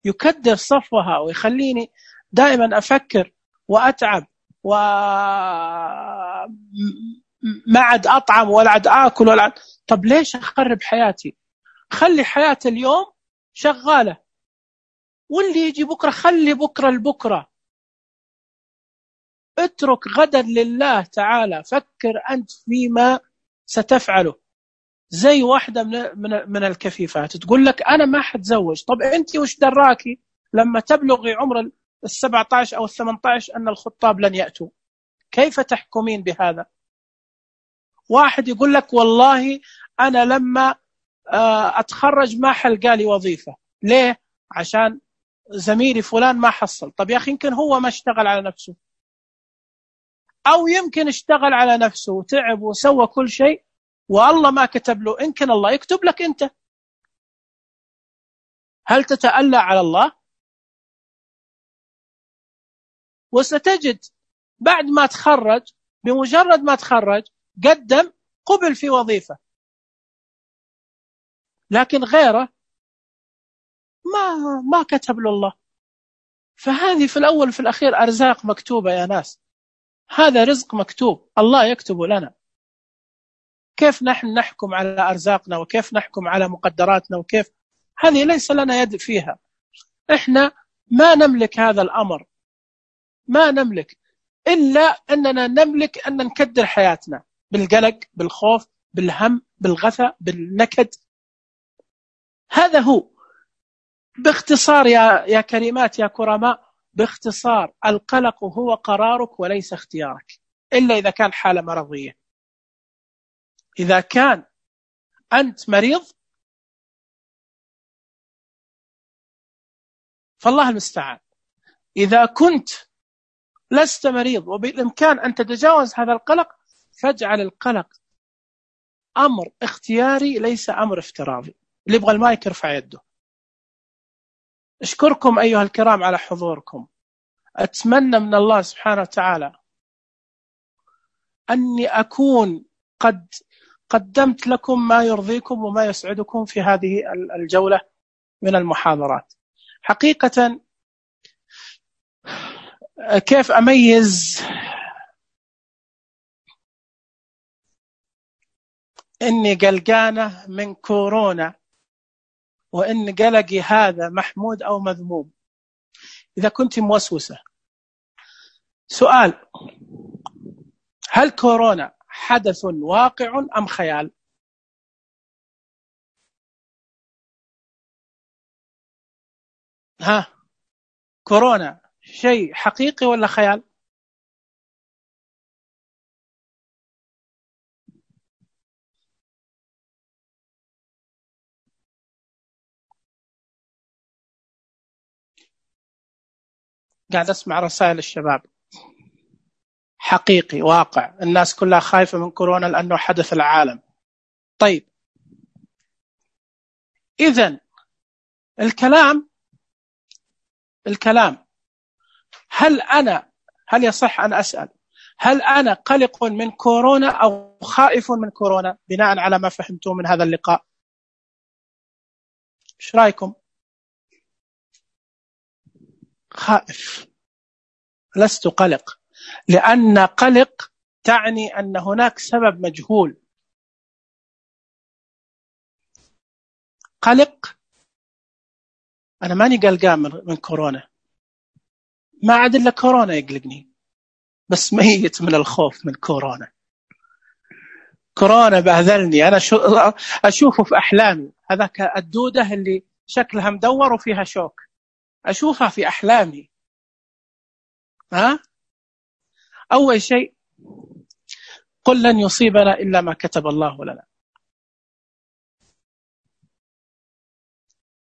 يكدر صفوها ويخليني دائما أفكر وأتعب، وما عاد أطعم ولا عاد آكل ولا عاد. طب ليش أخرب حياتي؟ خلي حياة اليوم شغالة، واللي يجي بكرة خلي بكرة لبكرة. اترك غدا لله تعالى. فكر أنت فيما ستفعله. زي واحدة من من الكفيفات تقول لك أنا ما حتزوج. طب أنت وش دراكي لما تبلغي عمر السبعة عشر أو الثمانية عشر أن الخطاب لن يأتوا؟ كيف تحكمين بهذا؟ واحد يقول لك والله أنا لما أتخرج ما حلقى لي وظيفة. ليه؟ عشان زميلي فلان ما حصل. طب يا أخي يمكن هو ما اشتغل على نفسه، أو يمكن اشتغل على نفسه وتعب وسوى كل شيء والله ما كتب له. يمكن الله يكتب لك أنت. هل تتألى على الله؟ وستجد بعد ما تخرج، بمجرد ما تخرج قدم قبل في وظيفة، لكن غيره ما ما كتب له الله. فهذه في الأول في الأخير أرزاق مكتوبة يا ناس. هذا رزق مكتوب الله يكتبه لنا. كيف نحن نحكم على أرزاقنا وكيف نحكم على مقدراتنا؟ وكيف هذه ليس لنا يد فيها. إحنا ما نملك هذا الأمر، ما نملك إلا أننا نملك أن نكدر حياتنا بالقلق، بالخوف، بالهم، بالغثى، بالنكد. هذا هو باختصار يا يا كريمات يا كرماء. باختصار القلق هو قرارك وليس اختيارك، إلا إذا كان حالة مرضية. إذا كان أنت مريض فالله المستعان. إذا كنت لست مريض وبالإمكان أن تتجاوز هذا القلق، فاجعل القلق أمر اختياري ليس أمر افتراضي. اللي يبغى المايك يرفع يده. أشكركم أيها الكرام على حضوركم. أتمنى من الله سبحانه وتعالى أني أكون قد قدمت لكم ما يرضيكم وما يسعدكم في هذه الجولة من المحاضرات. حقيقة كيف أميز إني قلقانة من كورونا وإن قلقي هذا محمود أو مذموم؟ إذا كنت موسوسة، سؤال: هل كورونا حدث واقع أم خيال؟ ها، كورونا شيء حقيقي ولا خيال؟ قاعد أسمع رسائل الشباب. حقيقي، واقع، الناس كلها خايفة من كورونا لأنه حدث العالم. طيب، إذن الكلام الكلام هل أنا هل يصح أن أسأل هل أنا قلق من كورونا أو خائف من كورونا بناء على ما فهمته من هذا اللقاء؟ إيش رأيكم؟ خائف، لست قلق، لأن قلق تعني أن هناك سبب مجهول. قلق، أنا ماني قلقان من كورونا، ما عاد إلا كورونا يقلقني، بس ميت من الخوف من كورونا. كورونا بهذلني، أنا شو أشوفه في أحلامي، هذاك الدودة اللي شكلها مدور وفيها شوك، أشوفها في أحلامي. ها؟ أول شيء قل لن يصيبنا إلا ما كتب الله لنا،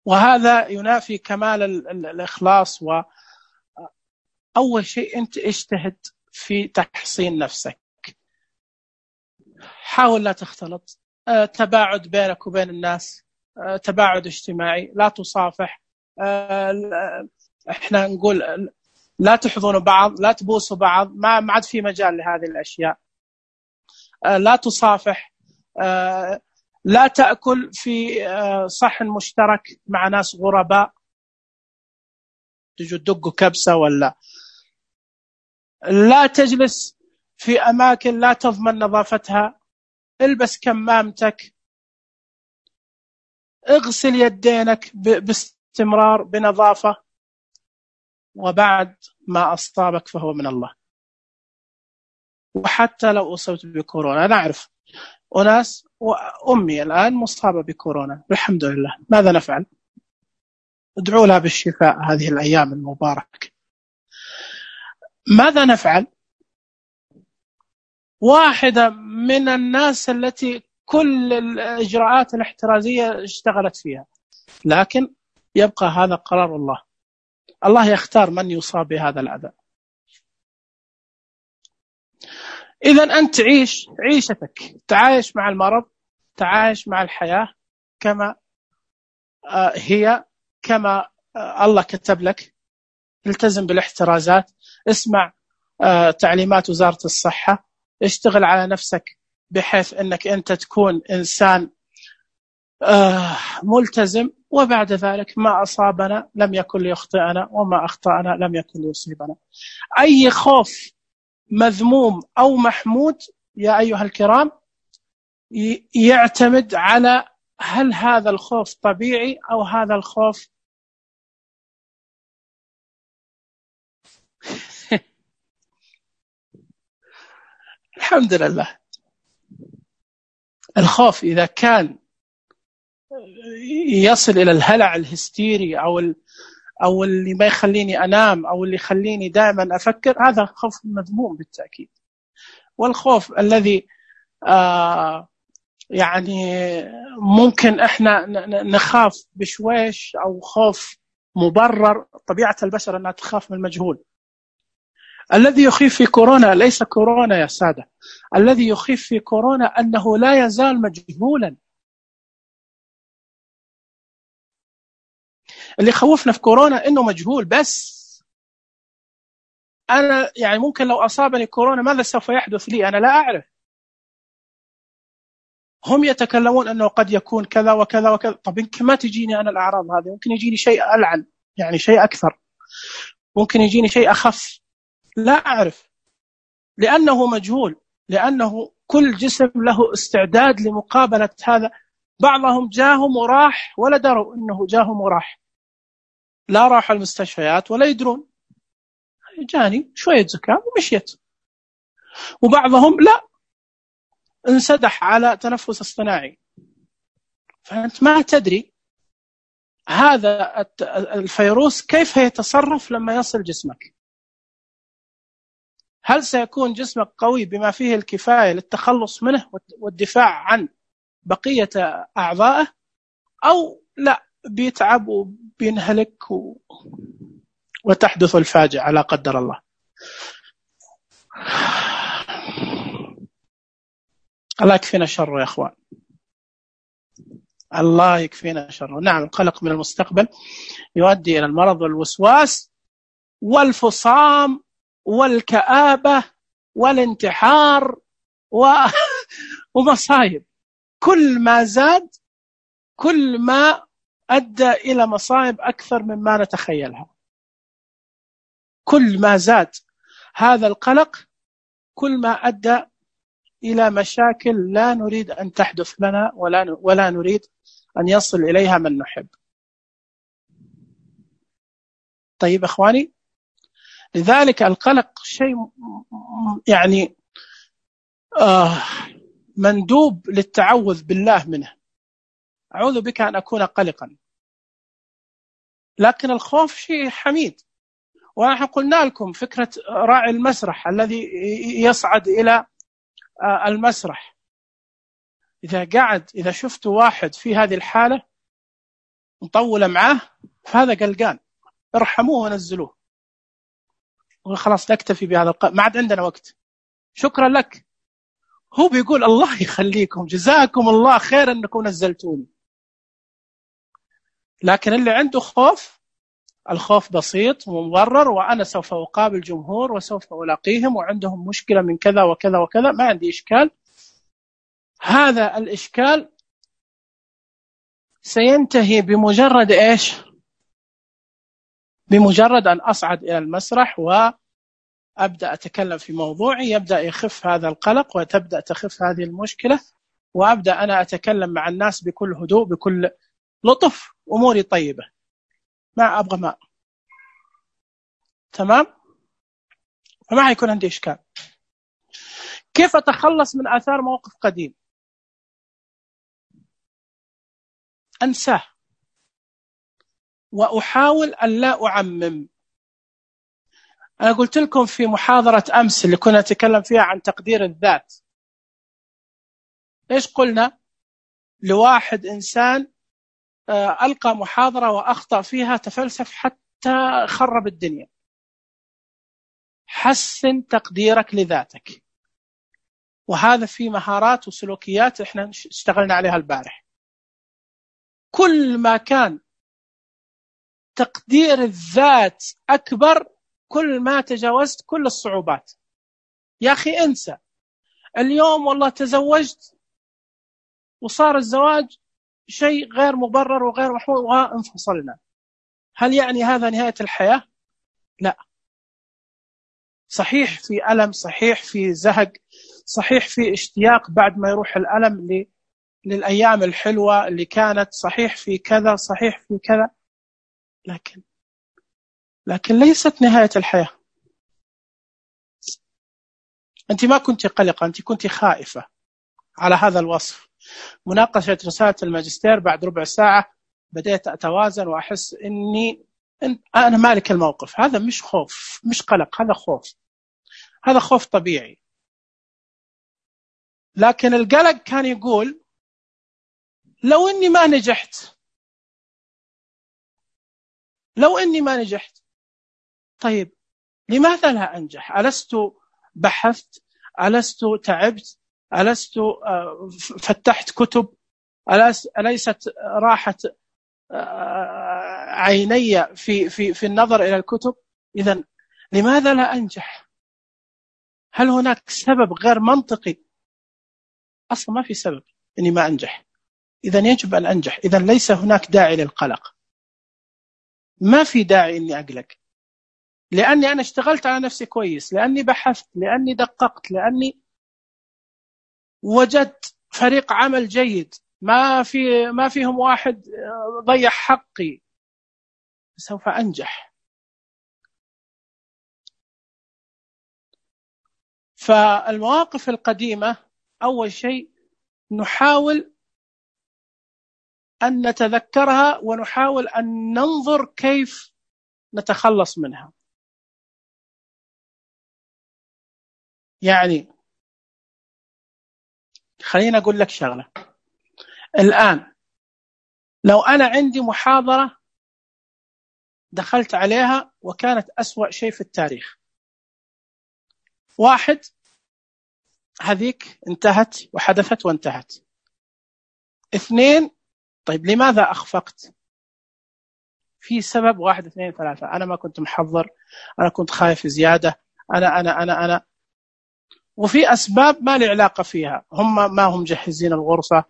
وهذا ينافي كمال الإخلاص. وأول شيء أنت اجتهد في تحصين نفسك، حاول لا تختلط، تباعد بينك وبين الناس، تباعد اجتماعي، لا تصافح، احنا نقول لا تحضنوا بعض، لا تبوسوا بعض، ما ما عاد في مجال لهذه الأشياء. لا تصافح، لا تأكل في صحن مشترك مع ناس غرباء، تجوا تدقوا كبسة، ولا لا تجلس في أماكن لا تضمن نظافتها، البس كمامتك، اغسل يدينك باستمرار بنظافة، وبعد ما أصابك فهو من الله. وحتى لو أصبت بكورونا، نعرف أناس، وأمي الآن مصابة بكورونا الحمد لله، ماذا نفعل؟ ادعوا لها بالشفاء هذه الأيام المباركة. ماذا نفعل؟ واحدة من الناس التي كل الإجراءات الاحترازية اشتغلت فيها، لكن يبقى هذا قرار الله، الله يختار من يصاب بهذا الأذى. إذن أنت عيش عيشتك، تعايش مع المرض، تعايش مع الحياة كما هي، كما الله كتب لك. التزم بالاحترازات، اسمع تعليمات وزارة الصحة، اشتغل على نفسك بحيث أنك أنت تكون إنسان ملتزم، وبعد ذلك ما أصابنا لم يكن ليخطئنا، وما أخطأنا لم يكن ليصيبنا. أي خوف مذموم أو محمود يا أيها الكرام يعتمد على هل هذا الخوف طبيعي أو هذا الخوف الحمد لله. الخوف إذا كان يصل إلى الهلع الهستيري أو أو اللي ما يخليني أنام أو اللي يخليني دائما أفكر، هذا خوف مذموم بالتأكيد. والخوف الذي آه يعني ممكن إحنا نخاف بشويش أو خوف مبرر، طبيعة البشر أنها تخاف من المجهول. الذي يخيف في كورونا ليس كورونا يا سادة، الذي يخيف في كورونا أنه لا يزال مجهولا. اللي خوفنا في كورونا إنه مجهول بس. أنا يعني ممكن لو أصابني كورونا ماذا سوف يحدث لي؟ أنا لا أعرف. هم يتكلمون أنه قد يكون كذا وكذا وكذا. طب يمكن ما تجيني أنا الأعراض هذه، ممكن يجيني شيء ألعن، يعني شيء أكثر، ممكن يجيني شيء أخف، لا أعرف، لأنه مجهول، لأنه كل جسم له استعداد لمقابلة هذا. بعضهم جاهم وراح ولا دروا أنه جاهم وراح، لا راحوا المستشفيات ولا يدرون، جاني شوية زكام ومشيت. وبعضهم لا، انسدح على تنفس اصطناعي. فأنت ما تدري هذا الفيروس كيف يتصرف لما يصل جسمك. هل سيكون جسمك قوي بما فيه الكفاية للتخلص منه والدفاع عن بقية أعضائه، أو لا بيتعب وبينهلك و... وتحدث الفاجعة لا قدر الله. الله يكفينا شره يا أخوان، الله يكفينا شره. نعم، القلق من المستقبل يؤدي إلى المرض والوسواس والفصام والكآبة والانتحار و... ومصايب. كل ما زاد كل ما أدى إلى مصايب أكثر مما نتخيلها. كل ما زاد هذا القلق كل ما أدى إلى مشاكل لا نريد أن تحدث لنا ولا ولا نريد أن يصل إليها من نحب. طيب أخواني، لذلك القلق شيء يعني آه مندوب للتعوذ بالله منه. أعوذ بك أن أكون قلقا. لكن الخوف شيء حميد. ونحن قلنا لكم فكرة راعي المسرح الذي يصعد إلى المسرح، إذا قاعد إذا شفت واحد في هذه الحالة مطولة معاه فهذا قلقان، ارحموه ونزلوه وخلاص نكتفي بهذا الق... ما عاد عندنا وقت، شكرا لك. هو بيقول الله يخليكم، جزاكم الله خير أنكم نزلتوني. لكن اللي عنده خوف، الخوف بسيط ومبرر، وأنا سوف أقابل جمهور وسوف ألاقيهم وعندهم مشكلة من كذا وكذا وكذا، ما عندي إشكال. هذا الإشكال سينتهي بمجرد إيش؟ بمجرد أن أصعد إلى المسرح وأبدأ أتكلم في موضوعي، يبدأ يخف هذا القلق وتبدأ تخف هذه المشكلة، وأبدأ أنا أتكلم مع الناس بكل هدوء بكل لطف، أموري طيبة، ما أبغى ماء، تمام؟ فما هيكون عندي إشكال. كيف أتخلص من آثار موقف قديم؟ أنساه وأحاول أن لا أعمم. أنا قلت لكم في محاضرة أمس اللي كنا نتكلم فيها عن تقدير الذات، إيش قلنا؟ لواحد إنسان ألقى محاضرة وأخطأ فيها، تفلسف حتى خرب الدنيا. حسن تقديرك لذاتك، وهذا في مهارات وسلوكيات إحنا اشتغلنا عليها البارح. كل ما كان تقدير الذات أكبر كل ما تجاوزت كل الصعوبات. يا أخي انسى اليوم والله تزوجت وصار الزواج شيء غير مبرر وغير محمود وانفصلنا، هل يعني هذا نهاية الحياة؟ لا. صحيح في ألم، صحيح في زهق، صحيح في اشتياق بعد ما يروح الألم للأيام الحلوة اللي كانت، صحيح في كذا، صحيح في كذا، لكن لكن ليست نهاية الحياة. أنت ما كنت قلقة، أنت كنت خائفة على هذا الوصف. مناقشة رسالة الماجستير بعد ربع ساعة بدأت أتوازن وأحس إني أنا مالك الموقف. هذا مش خوف، مش قلق، هذا خوف، هذا خوف طبيعي. لكن القلق كان يقول لو إني ما نجحت، لو إني ما نجحت، طيب لماذا لا أنجح؟ ألست بحثت؟ ألست تعبت؟ ألست فتحت كتب؟ أليست راحت عيني في في في النظر إلى الكتب؟ إذن لماذا لا أنجح؟ هل هناك سبب غير منطقي؟ أصلا ما في سبب إني ما أنجح، إذن يجب أن أنجح. إذن ليس هناك داعي للقلق، ما في داعي إني أقلق، لأني أنا اشتغلت على نفسي كويس، لأني بحثت، لأني دققت، لأني وجدت فريق عمل جيد، ما في ما فيهم واحد ضيع حقي، سوف أنجح. فالمواقف القديمة أول شيء نحاول أن نتذكرها ونحاول أن ننظر كيف نتخلص منها. يعني خلينا أقول لك شغلة الآن، لو أنا عندي محاضرة دخلت عليها وكانت أسوأ شيء في التاريخ، واحد هذيك انتهت وحدثت وانتهت، اثنين طيب لماذا أخفقت؟ في سبب واحد اثنين ثلاثة، أنا ما كنت محضر، أنا كنت خايف زيادة، أنا أنا أنا أنا وفي أسباب ما لي علاقة فيها، هم ما هم جهزين الغرفة،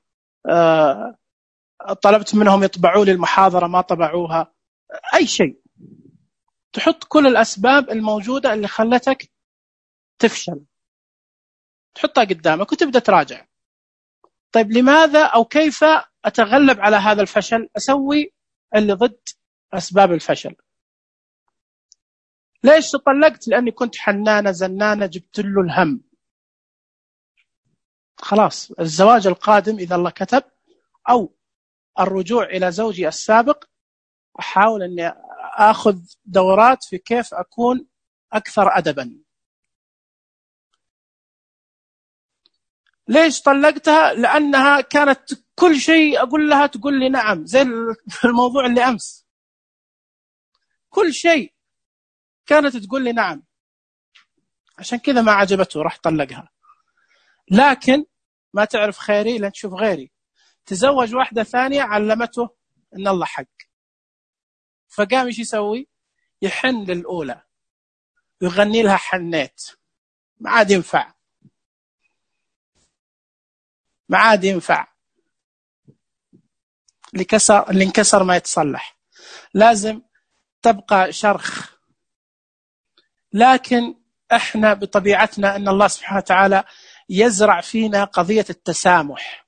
أه طلبت منهم يطبعوا لي المحاضرة ما طبعوها، أي شيء. تحط كل الأسباب الموجودة اللي خلتك تفشل، تحطها قدامك وتبدأ تراجع. طيب لماذا أو كيف أتغلب على هذا الفشل؟ أسوي اللي ضد أسباب الفشل. ليش تطلقت؟ لأني كنت حنانة زنانة، جبت له الهم. خلاص الزواج القادم إذا الله كتب أو الرجوع إلى زوجي السابق أحاول أني أخذ دورات في كيف أكون أكثر أدبا. ليش طلقتها؟ لأنها كانت كل شيء أقول لها تقول لي نعم، زي الموضوع اللي أمس، كل شيء كانت تقول لي نعم، عشان كذا ما عجبته راح طلقها. لكن ما تعرف خيري لن تشوف غيري، تزوج واحدة ثانية علمته إن الله حق، فقام إيش يسوي؟ يحن للأولى ويغني لها حنيت، ما عاد ينفع، ما عاد ينفع، اللي كسر اللي انكسر ما يتصلح، لازم تبقى شرخ. لكن احنا بطبيعتنا ان الله سبحانه وتعالى يزرع فينا قضية التسامح،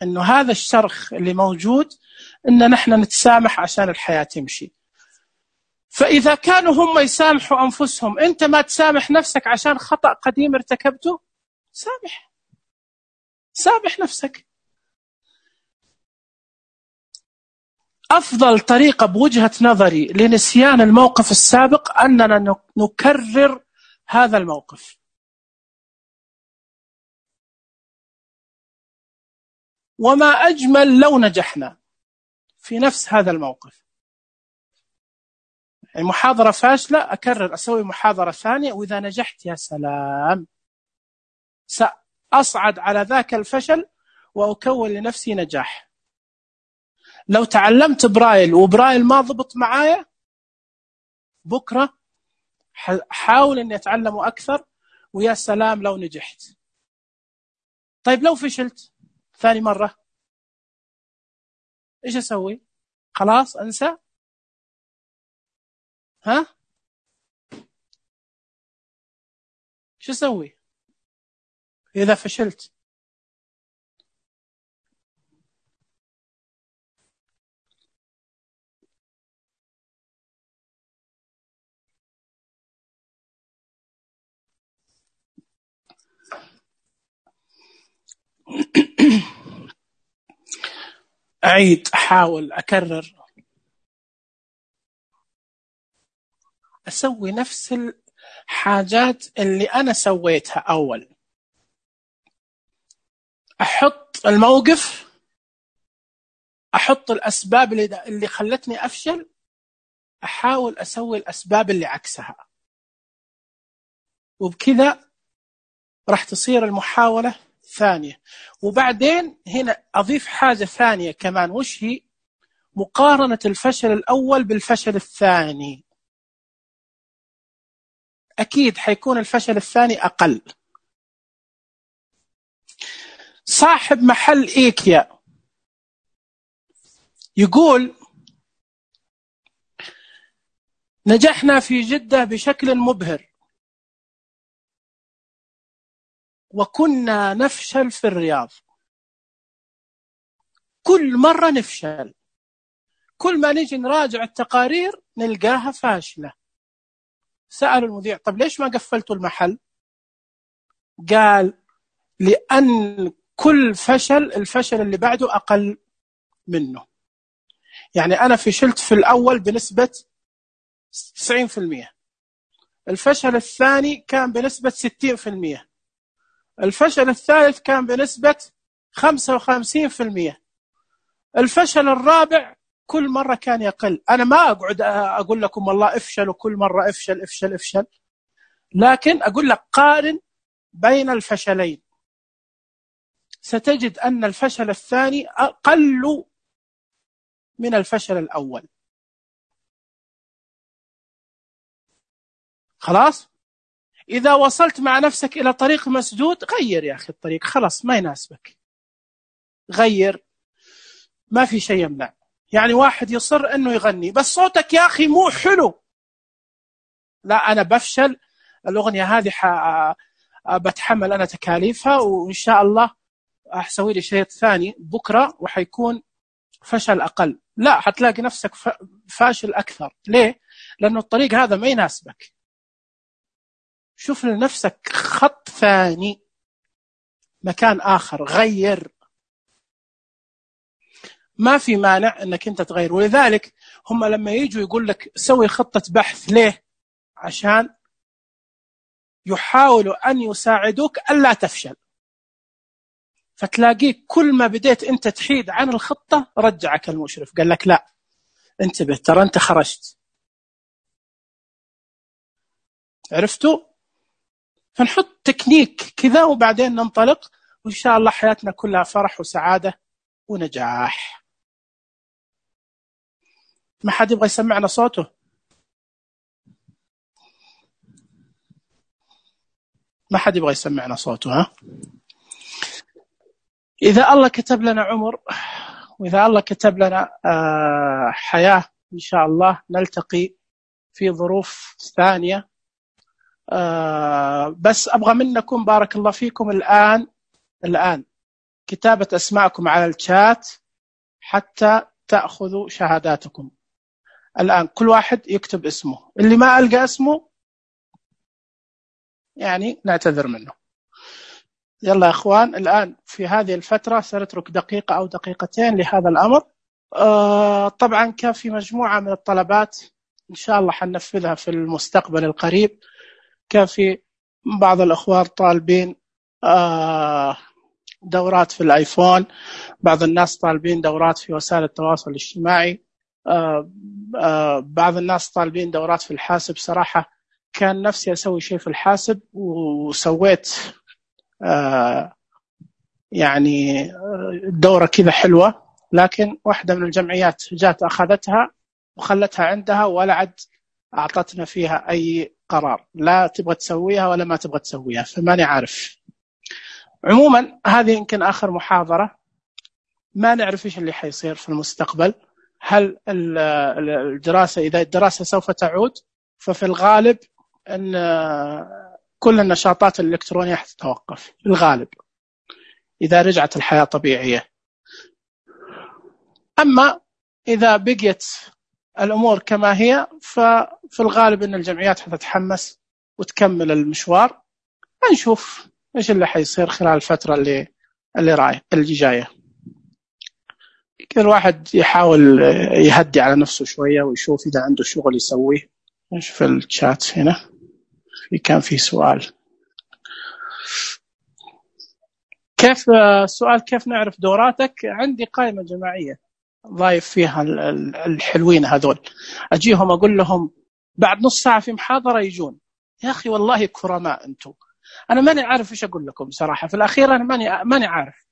انه هذا الشرخ اللي موجود ان نحن نتسامح عشان الحياة تمشي. فإذا كانوا هم يسامحوا أنفسهم، أنت ما تسامح نفسك عشان خطأ قديم ارتكبته، سامح سامح نفسك. أفضل طريقة بوجهة نظري لنسيان الموقف السابق أننا نكرر هذا الموقف. وما أجمل لو نجحنا في نفس هذا الموقف. يعني محاضرة فاشلة أكرر أسوي محاضرة ثانية، وإذا نجحت يا سلام سأصعد على ذاك الفشل وأكون لنفسي نجاح. لو تعلمت برايل وبرايل ما ضبط معايا، بكرة حاول أني أتعلمه أكثر، ويا سلام لو نجحت. طيب لو فشلت ثاني مرة إيش أسوي؟ خلاص أنسى؟ ها؟ إيش أسوي إذا فشلت؟ أعيد، أحاول، أكرر، أسوي نفس الحاجات اللي أنا سويتها أول. أحط الموقف، أحط الأسباب اللي خلتني أفشل، أحاول أسوي الأسباب اللي عكسها، وبكذا راح تصير المحاولة ثانية. وبعدين هنا أضيف حاجة ثانية كمان، وش هي؟ مقارنة الفشل الأول بالفشل الثاني. أكيد حيكون الفشل الثاني أقل. صاحب محل إيكيا يقول نجحنا في جدة بشكل مبهر، وكنا نفشل في الرياض. كل مرة نفشل، كل ما نيجي نراجع التقارير نلقاها فاشلة. سأل المذيع طب ليش ما قفلتوا المحل؟ قال لأن كل فشل الفشل اللي بعده أقل منه. يعني أنا فشلت في الأول بنسبة تسعين بالمئة، الفشل الثاني كان بنسبة ستين بالمئة، الفشل الثالث كان بنسبة خمسة وخمسين بالمئة، الفشل الرابع كل مرة كان يقل. أنا ما أقعد أقول لكم والله افشل وكل مرة افشل افشل افشل، لكن أقول لك قارن بين الفشلين، ستجد أن الفشل الثاني أقل من الفشل الأول. خلاص؟ إذا وصلت مع نفسك إلى طريق مسدود، غير يا أخي الطريق، خلاص ما يناسبك، غير، ما في شيء يمنع. يعني واحد يصر أنه يغني بس صوتك يا أخي مو حلو، لا أنا بفشل، الأغنية هذه ح... بتحمل أنا تكاليفها، وإن شاء الله أحسوي لي شيء ثاني بكرة وحيكون فشل أقل. لا، حتلاقي نفسك فاشل أكثر. ليه؟ لأنه الطريق هذا ما يناسبك. شوف لنفسك خط ثاني، مكان آخر، غير. ما في مانع أنك أنت تغير. ولذلك هم لما يجوا يقول لك سوي خطة بحث، ليه؟ عشان يحاولوا أن يساعدوك ألا تفشل. فتلاقيك كل ما بديت أنت تحيد عن الخطة رجعك المشرف قال لك لا انتبه، ترى أنت خرجت. عرفتوا؟ فنحط تكنيك كذا وبعدين ننطلق، وإن شاء الله حياتنا كلها فرح وسعادة ونجاح. ما حد يبغى يسمعنا صوته؟ ما حد يبغى يسمعنا صوته؟ ها؟ إذا الله كتب لنا عمر، وإذا الله كتب لنا حياة إن شاء الله نلتقي في ظروف ثانية. بس أبغى منكم بارك الله فيكم الآن الآن كتابة أسماءكم على الشات حتى تأخذوا شهاداتكم. الآن كل واحد يكتب اسمه، اللي ما ألقى اسمه يعني نعتذر منه. يلا يا أخوان، الآن في هذه الفترة سنترك دقيقة أو دقيقتين لهذا الأمر. آه طبعا كان في مجموعة من الطلبات إن شاء الله حننفذها في المستقبل القريب. كان في بعض الأخوان طالبين آه دورات في الآيفون، بعض الناس طالبين دورات في وسائل التواصل الاجتماعي، آه آه بعض الناس طالبين دورات في الحاسب. صراحة كان نفسي أسوي شيء في الحاسب وسويت آه يعني دورة كذا حلوة، لكن واحدة من الجمعيات جات أخذتها وخلتها عندها ولا عد أعطتنا فيها أي قرار، لا تبغى تسويها ولا ما تبغى تسويها، فماني عارف. عموما هذه يمكن آخر محاضرة، ما نعرف إيش اللي حيصير في المستقبل. هل الدراسة، إذا الدراسة سوف تعود، ففي الغالب أن كل النشاطات الإلكترونية حتتوقف في الغالب إذا رجعت الحياة طبيعية. أما إذا بقيت الأمور كما هي ففي الغالب أن الجمعيات حتتحمس وتكمل المشوار. نشوف إيش اللي حيصير خلال الفترة اللي اللي رايح اللي جاية. كل واحد يحاول يهدي على نفسه شوية ويشوف إذا عنده شغل يسويه. نشوف الشات هنا، في كان في سؤال. كيف السؤال كيف نعرف دوراتك؟ عندي قائمة جماعية ضايف فيها الحلوين هذول، أجيهم أقول لهم بعد نص ساعة في محاضرة يجون. يا أخي والله كرماء أنتم، أنا ماني عارف إيش أقول لكم صراحة. في الأخير أنا ماني ماني عارف.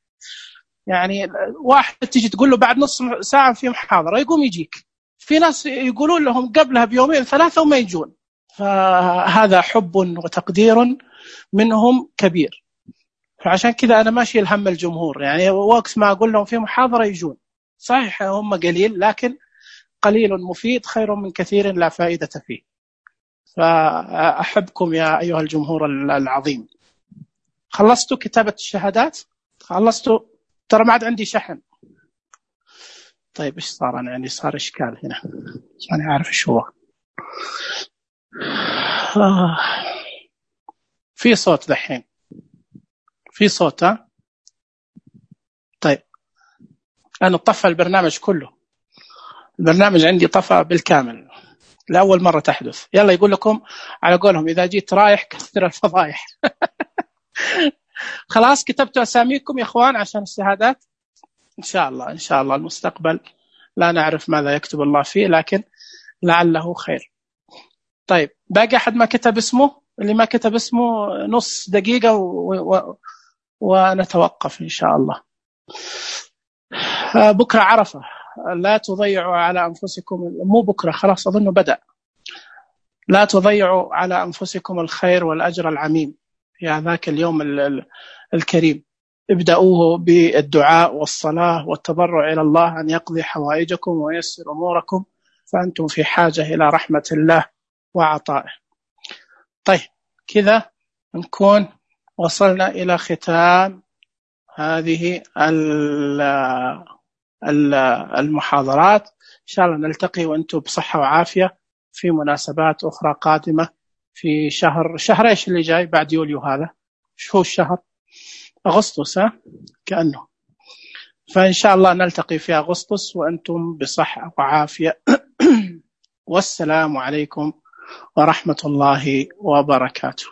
يعني واحد تيجي تقول له بعد نص ساعة في محاضرة يقوم يجيك، في ناس يقولون لهم قبلها بيومين ثلاثة وما يجون. فهذا حب وتقدير منهم كبير، فعشان كذا أنا ماشي الهم الجمهور. يعني وقت ما أقول لهم في محاضرة يجون. صحيح هم قليل، لكن قليل مفيد خير من كثير لا فائدة فيه. فأحبكم يا أيها الجمهور العظيم. خلصتوا كتابة الشهادات؟ خلصتوا؟ ترى ما عاد عندي شحن. طيب إيش صار؟ أنا يعني صار إشكال هنا، أنا عارف إيش هو. آه. في صوت دحين، في صوت. ها طيب أنا طفى البرنامج كله، البرنامج عندي طفى بالكامل لأول مرة تحدث. يلا يقول لكم على قولهم إذا جيت رايح كثر الفضايح. خلاص كتبتوا أساميكم يا إخوان عشان الشهادات. إن شاء الله إن شاء الله المستقبل لا نعرف ماذا يكتب الله فيه، لكن لعله خير. طيب باقي أحد ما كتب اسمه؟ اللي ما كتب اسمه نص دقيقة و... و... ونتوقف إن شاء الله. بكرة عرفة، لا تضيعوا على أنفسكم، مو بكرة خلاص أظنه بدأ. لا تضيعوا على أنفسكم الخير والأجر العميم في ذاك اليوم الكريم. ابدأوه بالدعاء والصلاة والتضرع إلى الله أن يقضي حوائجكم وييسر أموركم، فأنتم في حاجة إلى رحمة الله وعطائه. طيب كذا نكون وصلنا إلى ختام هذه المحاضرات. إن شاء الله نلتقي وأنتم بصحة وعافية في مناسبات أخرى قادمة في شهر شهر إيش اللي جاي بعد يوليو؟ هذا شو هو الشهر؟ أغسطس. ها كأنه. فإن شاء الله نلتقي في أغسطس وأنتم بصحة وعافية. والسلام عليكم ورحمة الله وبركاته.